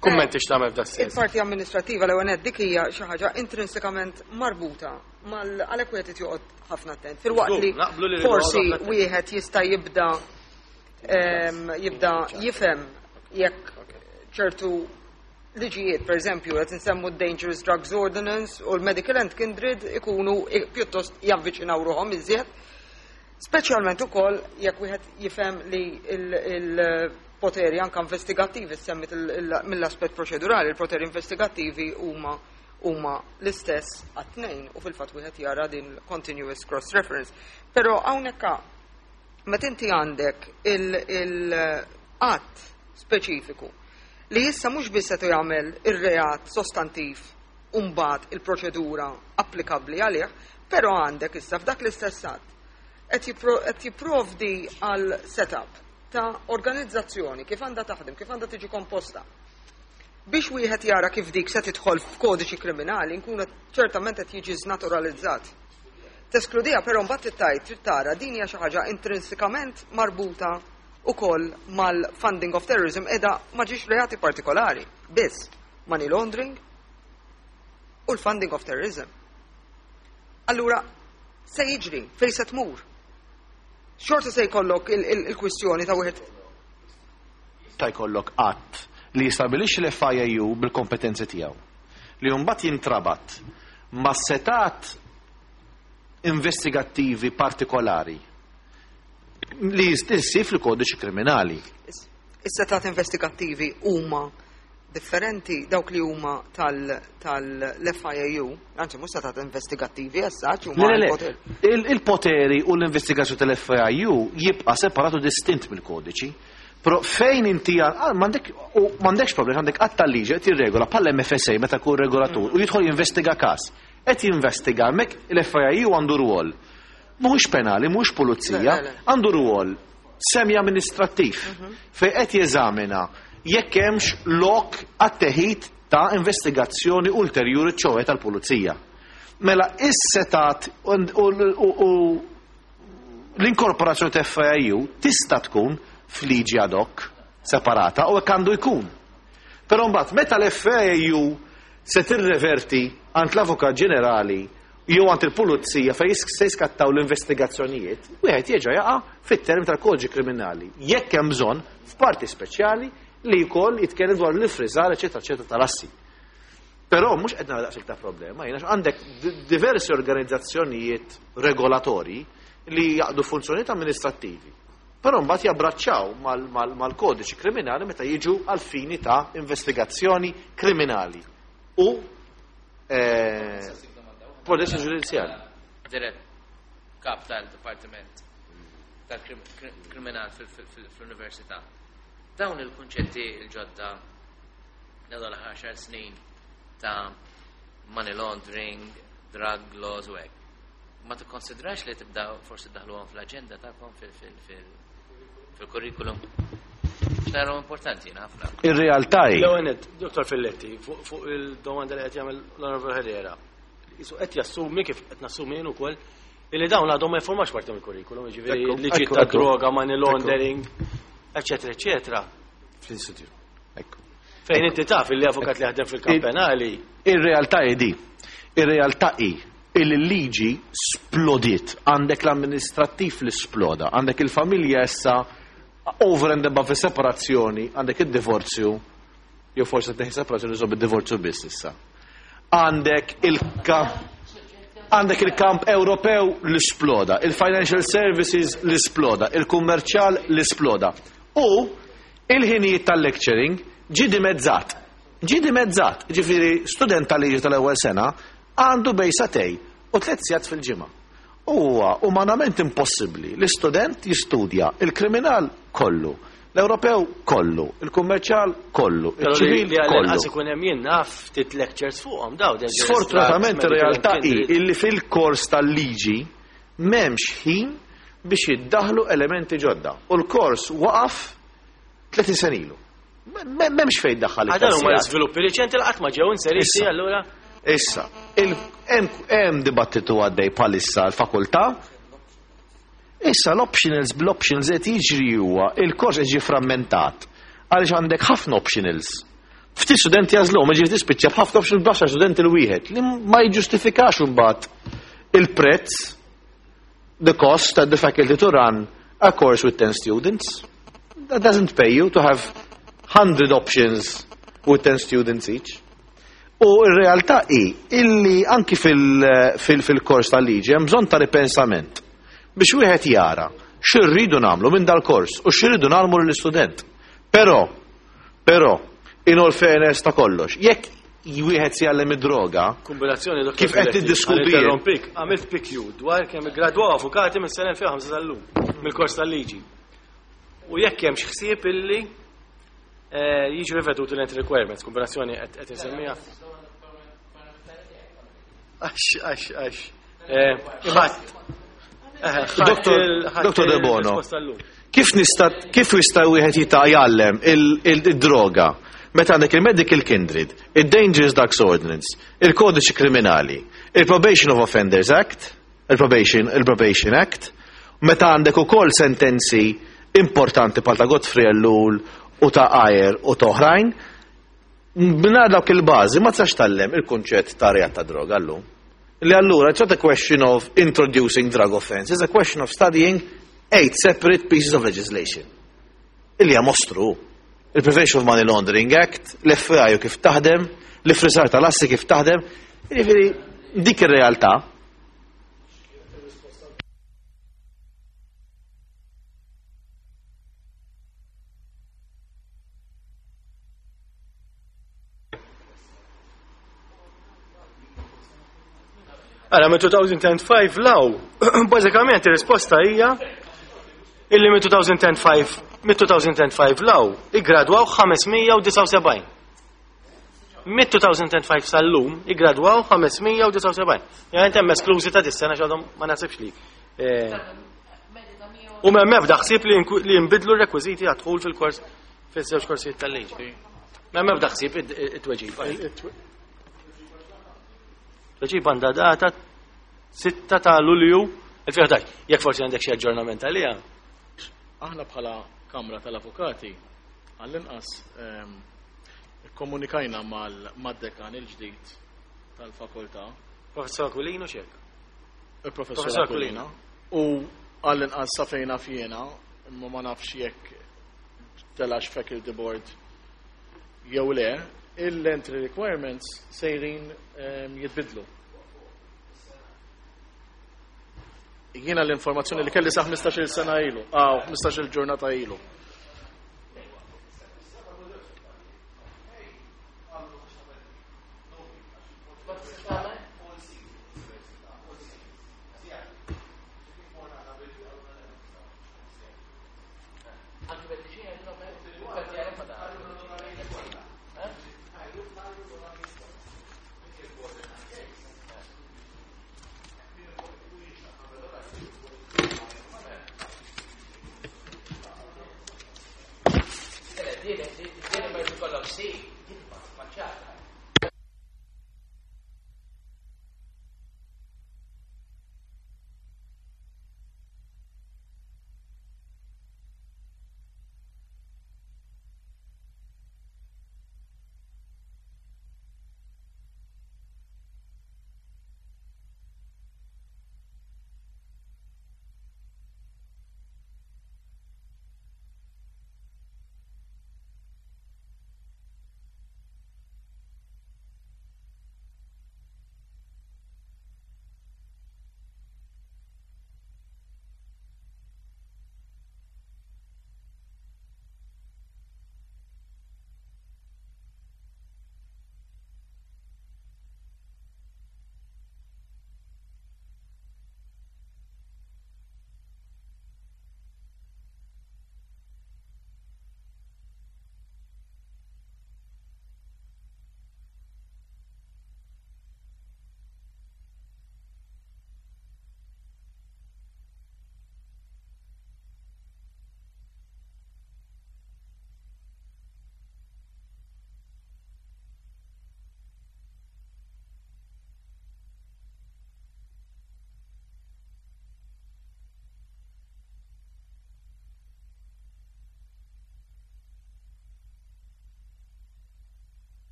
kummenti x'tagħmel f'da sens. Il-parti amministrativa l ewwel dik hija xi ħaġa intrinsikament marbuta mal għalhekk wieħed irid joqgħod ħafna attent. Filwaqt li Naqblu li forsi rridu noqogħdu ħafna wieħed jista' jibda em, jibda jifhem jekk ċertu liġijiet, per eżempju, qed insemmu d-Dangerous Drugs Ordinance u l-Medical and Kindred ikunu i- pjuttost javviċinaw ruħhom iżjed. Speċjalment ukoll jekk wieħed jifhem li il-poteri anke investigattivi semmit il- il- mill-aspett proċedurali, il-poteri investigattivi huma huma l-istess għat-tnejn u fil-fatt wieħed jara din continuous cross-reference. Però hawnhekk meta inti għandek il-qatt speċifiku li issa mhux biss qed jagħmel ir-reat sostantiv u mbagħad il-proċedura applikabbli għalih, però għandek issa f'dak l-istess att qed jippro- qed jipprovdi għal setup ta' organizzazzjoni kif għandha taħdem, kif għandha tiġi komposta. Biex wieħed jara kif dik se tidħol f'kodiċi kriminali, nkun ċertament qed jiġi żnaturalizzat. Teskludija però mbagħad tittajt trid tara din hija xi ħaġa intrinsikament marbuta ukoll mal-funding of terrorism qiegħda ma ġiex reati partikolari, biss money laundering u l-funding of terrorism. Allura, se jiġri, fejn se tmur? Xorta se jkollok il- il- il-kwistjoni ta' wieħed Ta' jkollok att li jistabilixxi l-F I A U bil-kompetenzi tiegħu. Li mbagħad jintrabat ma' setat investigattivi partikolari li jistissib fil-kodiċi kriminali. Is- Is-setat investigattivi huma differenti dawk li huma tal-F I A U, anzi mhux setat investigattivi issa huma Le, le, le. l-poter. Il- Il-poteri u l-investigazzjoni tal-F I A U jibqa' separatu distint mill-kodiċi. Però fejn inti għal- ah, m'għandek u m'għandekx problema, għandek att tal-liġi qed jirregola bħal M F S A meta jkun regolatur u jidħol jinvestiga każ. Qed jinvestiga hemmhekk il-F I A U għandu rwol. Mhuwiex penali, mhuwiex pulizija, Le, le, le. għandu rwol semi-amministrattiv fejn qed jeżamina jekk hemmx lok għat-teħid ta' investigazzjoni ulterjuri ċoħe tal-pulizija. Mela is-setat u, u, u, u l-inkorporazzjoni ta' F I A U tista' tkun f'liġi ad hoc separata u hekk għandu jkun. Però mbagħad meta l-F I A U se tirreverti għand l-Avukat Ġenerali jew għand il-Pulizija fejn jis-, se jiskattaw l-investigazzjonijiet, wieħed jerġa' jaqa' fit-term tal-kodiċi kriminali. Jekk hemm bżonn f'parti speċjali li wkoll jitkellem dwar l-ifriżar, eċetera, eċetera, tal-assi. Però mhux qed nara daqshekk ta' problema, jiena għandek di-, diversi organizzazzjonijiet regolatorji li jaqdu funzjonijiet amministrattivi. Però mbagħad jabbraċċaw mal-, mal-, mal-kodiċi kriminali meta jiġu għal fini ta' investigazzjoni kriminali u, eh, proċessi ġudizzjali. Dirett kap tal-Dipartiment tal-Kriminal fil-, fil-, fil-Università. Dawn il-kunċetti il-ġodda dawn l-aħħar għaxar snin ta' money laundering, drug laws u hekk. Ma tikkonsidrax li tibda forsi daħluhom fl-aġenda tagħkom fil-, fil-, fil-, fil-kurrikulum? X'naraw importanti jiena ħafna. Ir-realtà hi. L-ewwel nett, Dottor Filletti, fuq, fuq il-domanda li qed jagħmel l-Onorevole Herrera. Isu qed jassumi kif qed nassumi jien ukoll illi dawn għadhom ma jiffurmax parti mill-kurrikulum, jiġifieri Ekku, liġi ekku, ta' ekku. droga, money Ekku. laundering, eċetera, eċetera. Fl-istitut. Ekku. Fejn inti taf li avukat li jaħdem fil-kamp penali. Ir-realtà hi di. Ir-realtà hi il-liġi splodiet. Għandek l-amministrattiv li sploda, għandek il-familja issa over and above separazzjoni, għandek id-divorzju, jew forsi teħi separazzjoni żobb id-divorzju biss issa. Għandek il-kamp għandek il-kamp Ewropew li sploda, il-financial services li sploda, il-kummerċjal li sploda. U il-ħinijiet tal-lecturing ġie dimezzat. Ġie dimezzat, ġifieri student tal-liġi tal-ewwel sena għandu bejn sagħtejn u tliet sigħat fil-ġimgħa. Huwa umanament impossibbli li student jistudja il-kriminal kollu, l-Ewropew kollu, il-kummerċjal kollu, il-ċivil kollu. Għas ikun hemm jien naf ftit lectures fuqhom daw. Sfortunatament ir-realtà hi illi fil-kors tal-liġi m'hemmx ħin biex jiddaħlu elementi ġodda. U l-kors waqaf tletin sena ilu. M'hemmx fejn daħħal. Għadan huma l-iżviluppi riċenti li qatt ma ġew inseriti allura. Issa, hemm dibattitu għaddej bħalissa l-fakultà. Issa l-optionals bl-optionals qed jiġri huwa il-kors qed jiġi frammentat għaliex għandek ħafna optionals. Ftit studenti jażluhom, jiġifieri tispiċċa b'ħafna optionals b'għaxar studenti l-wieħed li ma jiġġustifikax imbagħad il-prezz, the cost at the faculty to run a course with ten students. That doesn't pay you to have hundred options with ten students each. U r-realtà hi illi anki fil-kors tal-liġi hemm bżonn ta' ripensament biex wieħed jara x'irridu nagħmlu minn dal-kors u x'irridu nagħmlu lill-istudent. Però, però, in all fairness ta' kollox, jekk wieħed se jgħallem id-droga, kombinazzjoni Doktor kif qed Filetti, tiddiskuti għal interrompik, għamilt P Q dwar kemm iggradwaw avukati mis-sena elfejn u ħamsa sal-lum mill-kors tal-liġi. U jekk hemm xi ħsieb illi jiġu riveduti l-entry requirements, kombinazzjoni qed insemmija. Għax, għax, għax. Imbagħad. Doktor De Bono, kif nista' kif jista' wieħed jitgħallem il-droga meta għandek il-Medical Kindred, il-Dangerous Drugs Ordinance, il-Kodiċi Kriminali, il-Probation of Offenders Act, il-Probation, il-Probation Act, meta għandek ukoll sentenzi importanti bħal ta' Godfrey Ellul u ta' Ayer u ta' oħrajn, mingħajr dawk il-bażi ma tistax tgħallem il-kunċett ta' reat ta' droga llum. Li allura it's not a question of introducing drug offense, it's a question of studying eight separate pieces of legislation. Illi hija mostru. Il-Prevention of Money Laundering Act, l-F B I u kif taħdem, l-ifrisar tal-assi kif taħdem, jiġifieri dik ir-realtà. Għala, minn two thousand and five law, bażikament ir-risposta hija illi minn two thousand and five, minn two thousand and five law iggradwaw ħames mija u disgħa u sebgħin. Minn two thousand and five sal-lum iggradwaw ħames mija u disgħa u sebgħin. Jgħid hemm esklużi ta' dis-sena x'għadhom ma nasibx li. U m'hemm ebda ħsieb li jinbidlu r-rekwiżiti għad-dħul fil-kors fiż-żewġ korsijiet tal-liġi. M'hemm ebda ħsieb it-tweġiba. Tweġiba għandha data sitta ta' Lulju elfejn u ħdax. Jekk forsi għandek xi aġġornament għaliha. Aħna bħala Kamra tal-Avukati għall-inqas ikkomunikajna mad-dekan il-ġdid tal-fakultà. Professor Aquilino x'hekk? Il-Professor Professor Aquilino. Aquilino. U għall-inqas sa fejn naf jiena, imma ma nafx jekk telax faculty board jew le, il-entry requirements sejrin jitbidlu. Jiena l-informazzjoni li kelli sa ħmistax-il sena ilu, aw, ħmistax-il ġurnata ilu.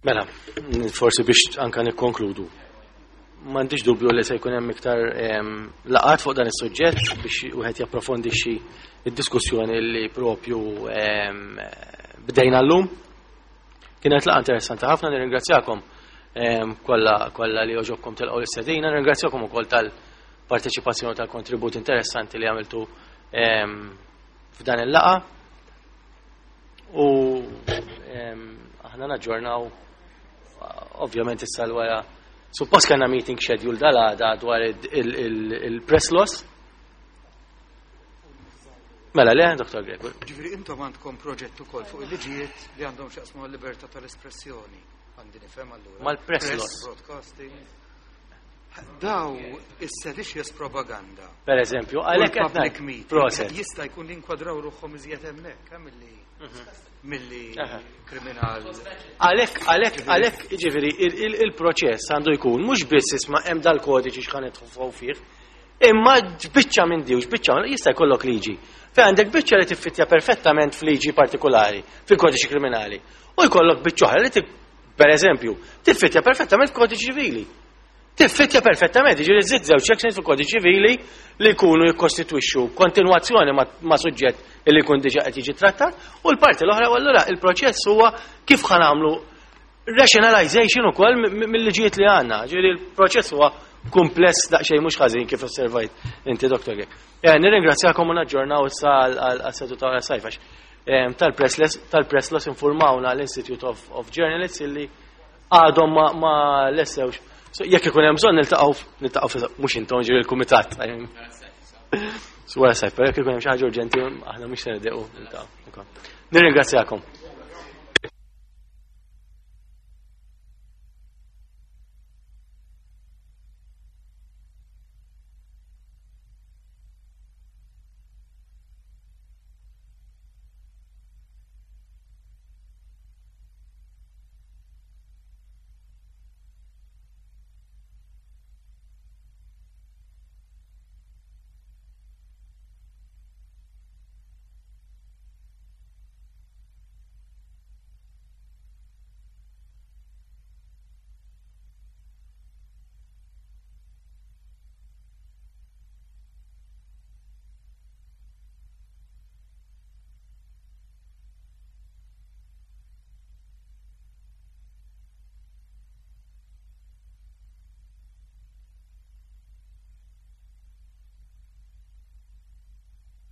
Mela, forsi biex anka nikkonkludu. M'għandix dubju li se jkun hemm iktar em, laqgħat fuq dan is-suġġett biex wieħed japprofondixxi id-diskussjoni li propju em, bdejna llum. Kienet laqgħa interessanti ħafna, nirringrazzjakom em, kollha kollha li għoġobkom tilqgħu l-istedina, nirringrazzjakom ukoll tal-parteċipazzjoni, tal-kontribut interessanti li għamiltu em, f'dan il-laqgħa. U em, aħna naġġornaw ovvjament issa l-wara. Suppost kellna meeting schedule dal-għada dwar il-press laws. Mela le, Doktor Gregor. Ġifieri intom għandkom proġett ukoll fuq il-liġijiet li għandhom x'jaqsmu mal-libertà tal-espressjoni. Għandi nifhem allura. Mal-press laws. Broadcasting. Daw is-seditious propaganda. Per eżempju, għalhekk qed public ngħid. meeting. Proset. Jista' jkun li nkwadraw ruħhom iżjed hemmhekk, hemm milli milli Aha. kriminal. Għalhekk, għalhekk, għalhekk, ġifieri, il-proċess għandu jkun mhux biss isma' hemm dal-kodiċi x'ħan nidħlu fih, imma biċċa minn di u biċċa jista' jkollok liġi. Fejn għandek biċċa li tiffittja perfettament f'liġi partikolari, fil-kodiċi kriminali, u jkollok biċċa oħra li ti- per eżempju, tiffittja perfettament f'kodiċi ċivili. Tiffittja perfettament, ġifieri żid żewġ sections fil-kodiċi ċivili li jkunu jikkostitwixxu kontinwazzjoni ma, ma suġġett li jkun diġà qed jiġi trattat, u l-parti l-oħra, u allura il-proċess huwa kif ħa nagħmlu rationalization ukoll mi- mi- mill-liġijiet li għandna. Ġifieri il-proċess huwa kumpless daqsxejn mhux ħażin, kif osservajt inti, Doktor Grech. Eh, Nirringrazzjakom u naġġornaw issa għal-seduta ta' sajf għax tal-press tal-press laws informawna l-Institute of, of Journalists illi għadhom ma, ma lessewx. So, jekk ikun hemm bżonn niltaqgħu niltaqgħu fi- mhux intom, ġifieri il-kumitat. So wara sajf, però jekk ikun hemm xi ħaġa urġenti aħna mhux se niddequ niltaqgħu. Nirringrazzjakom.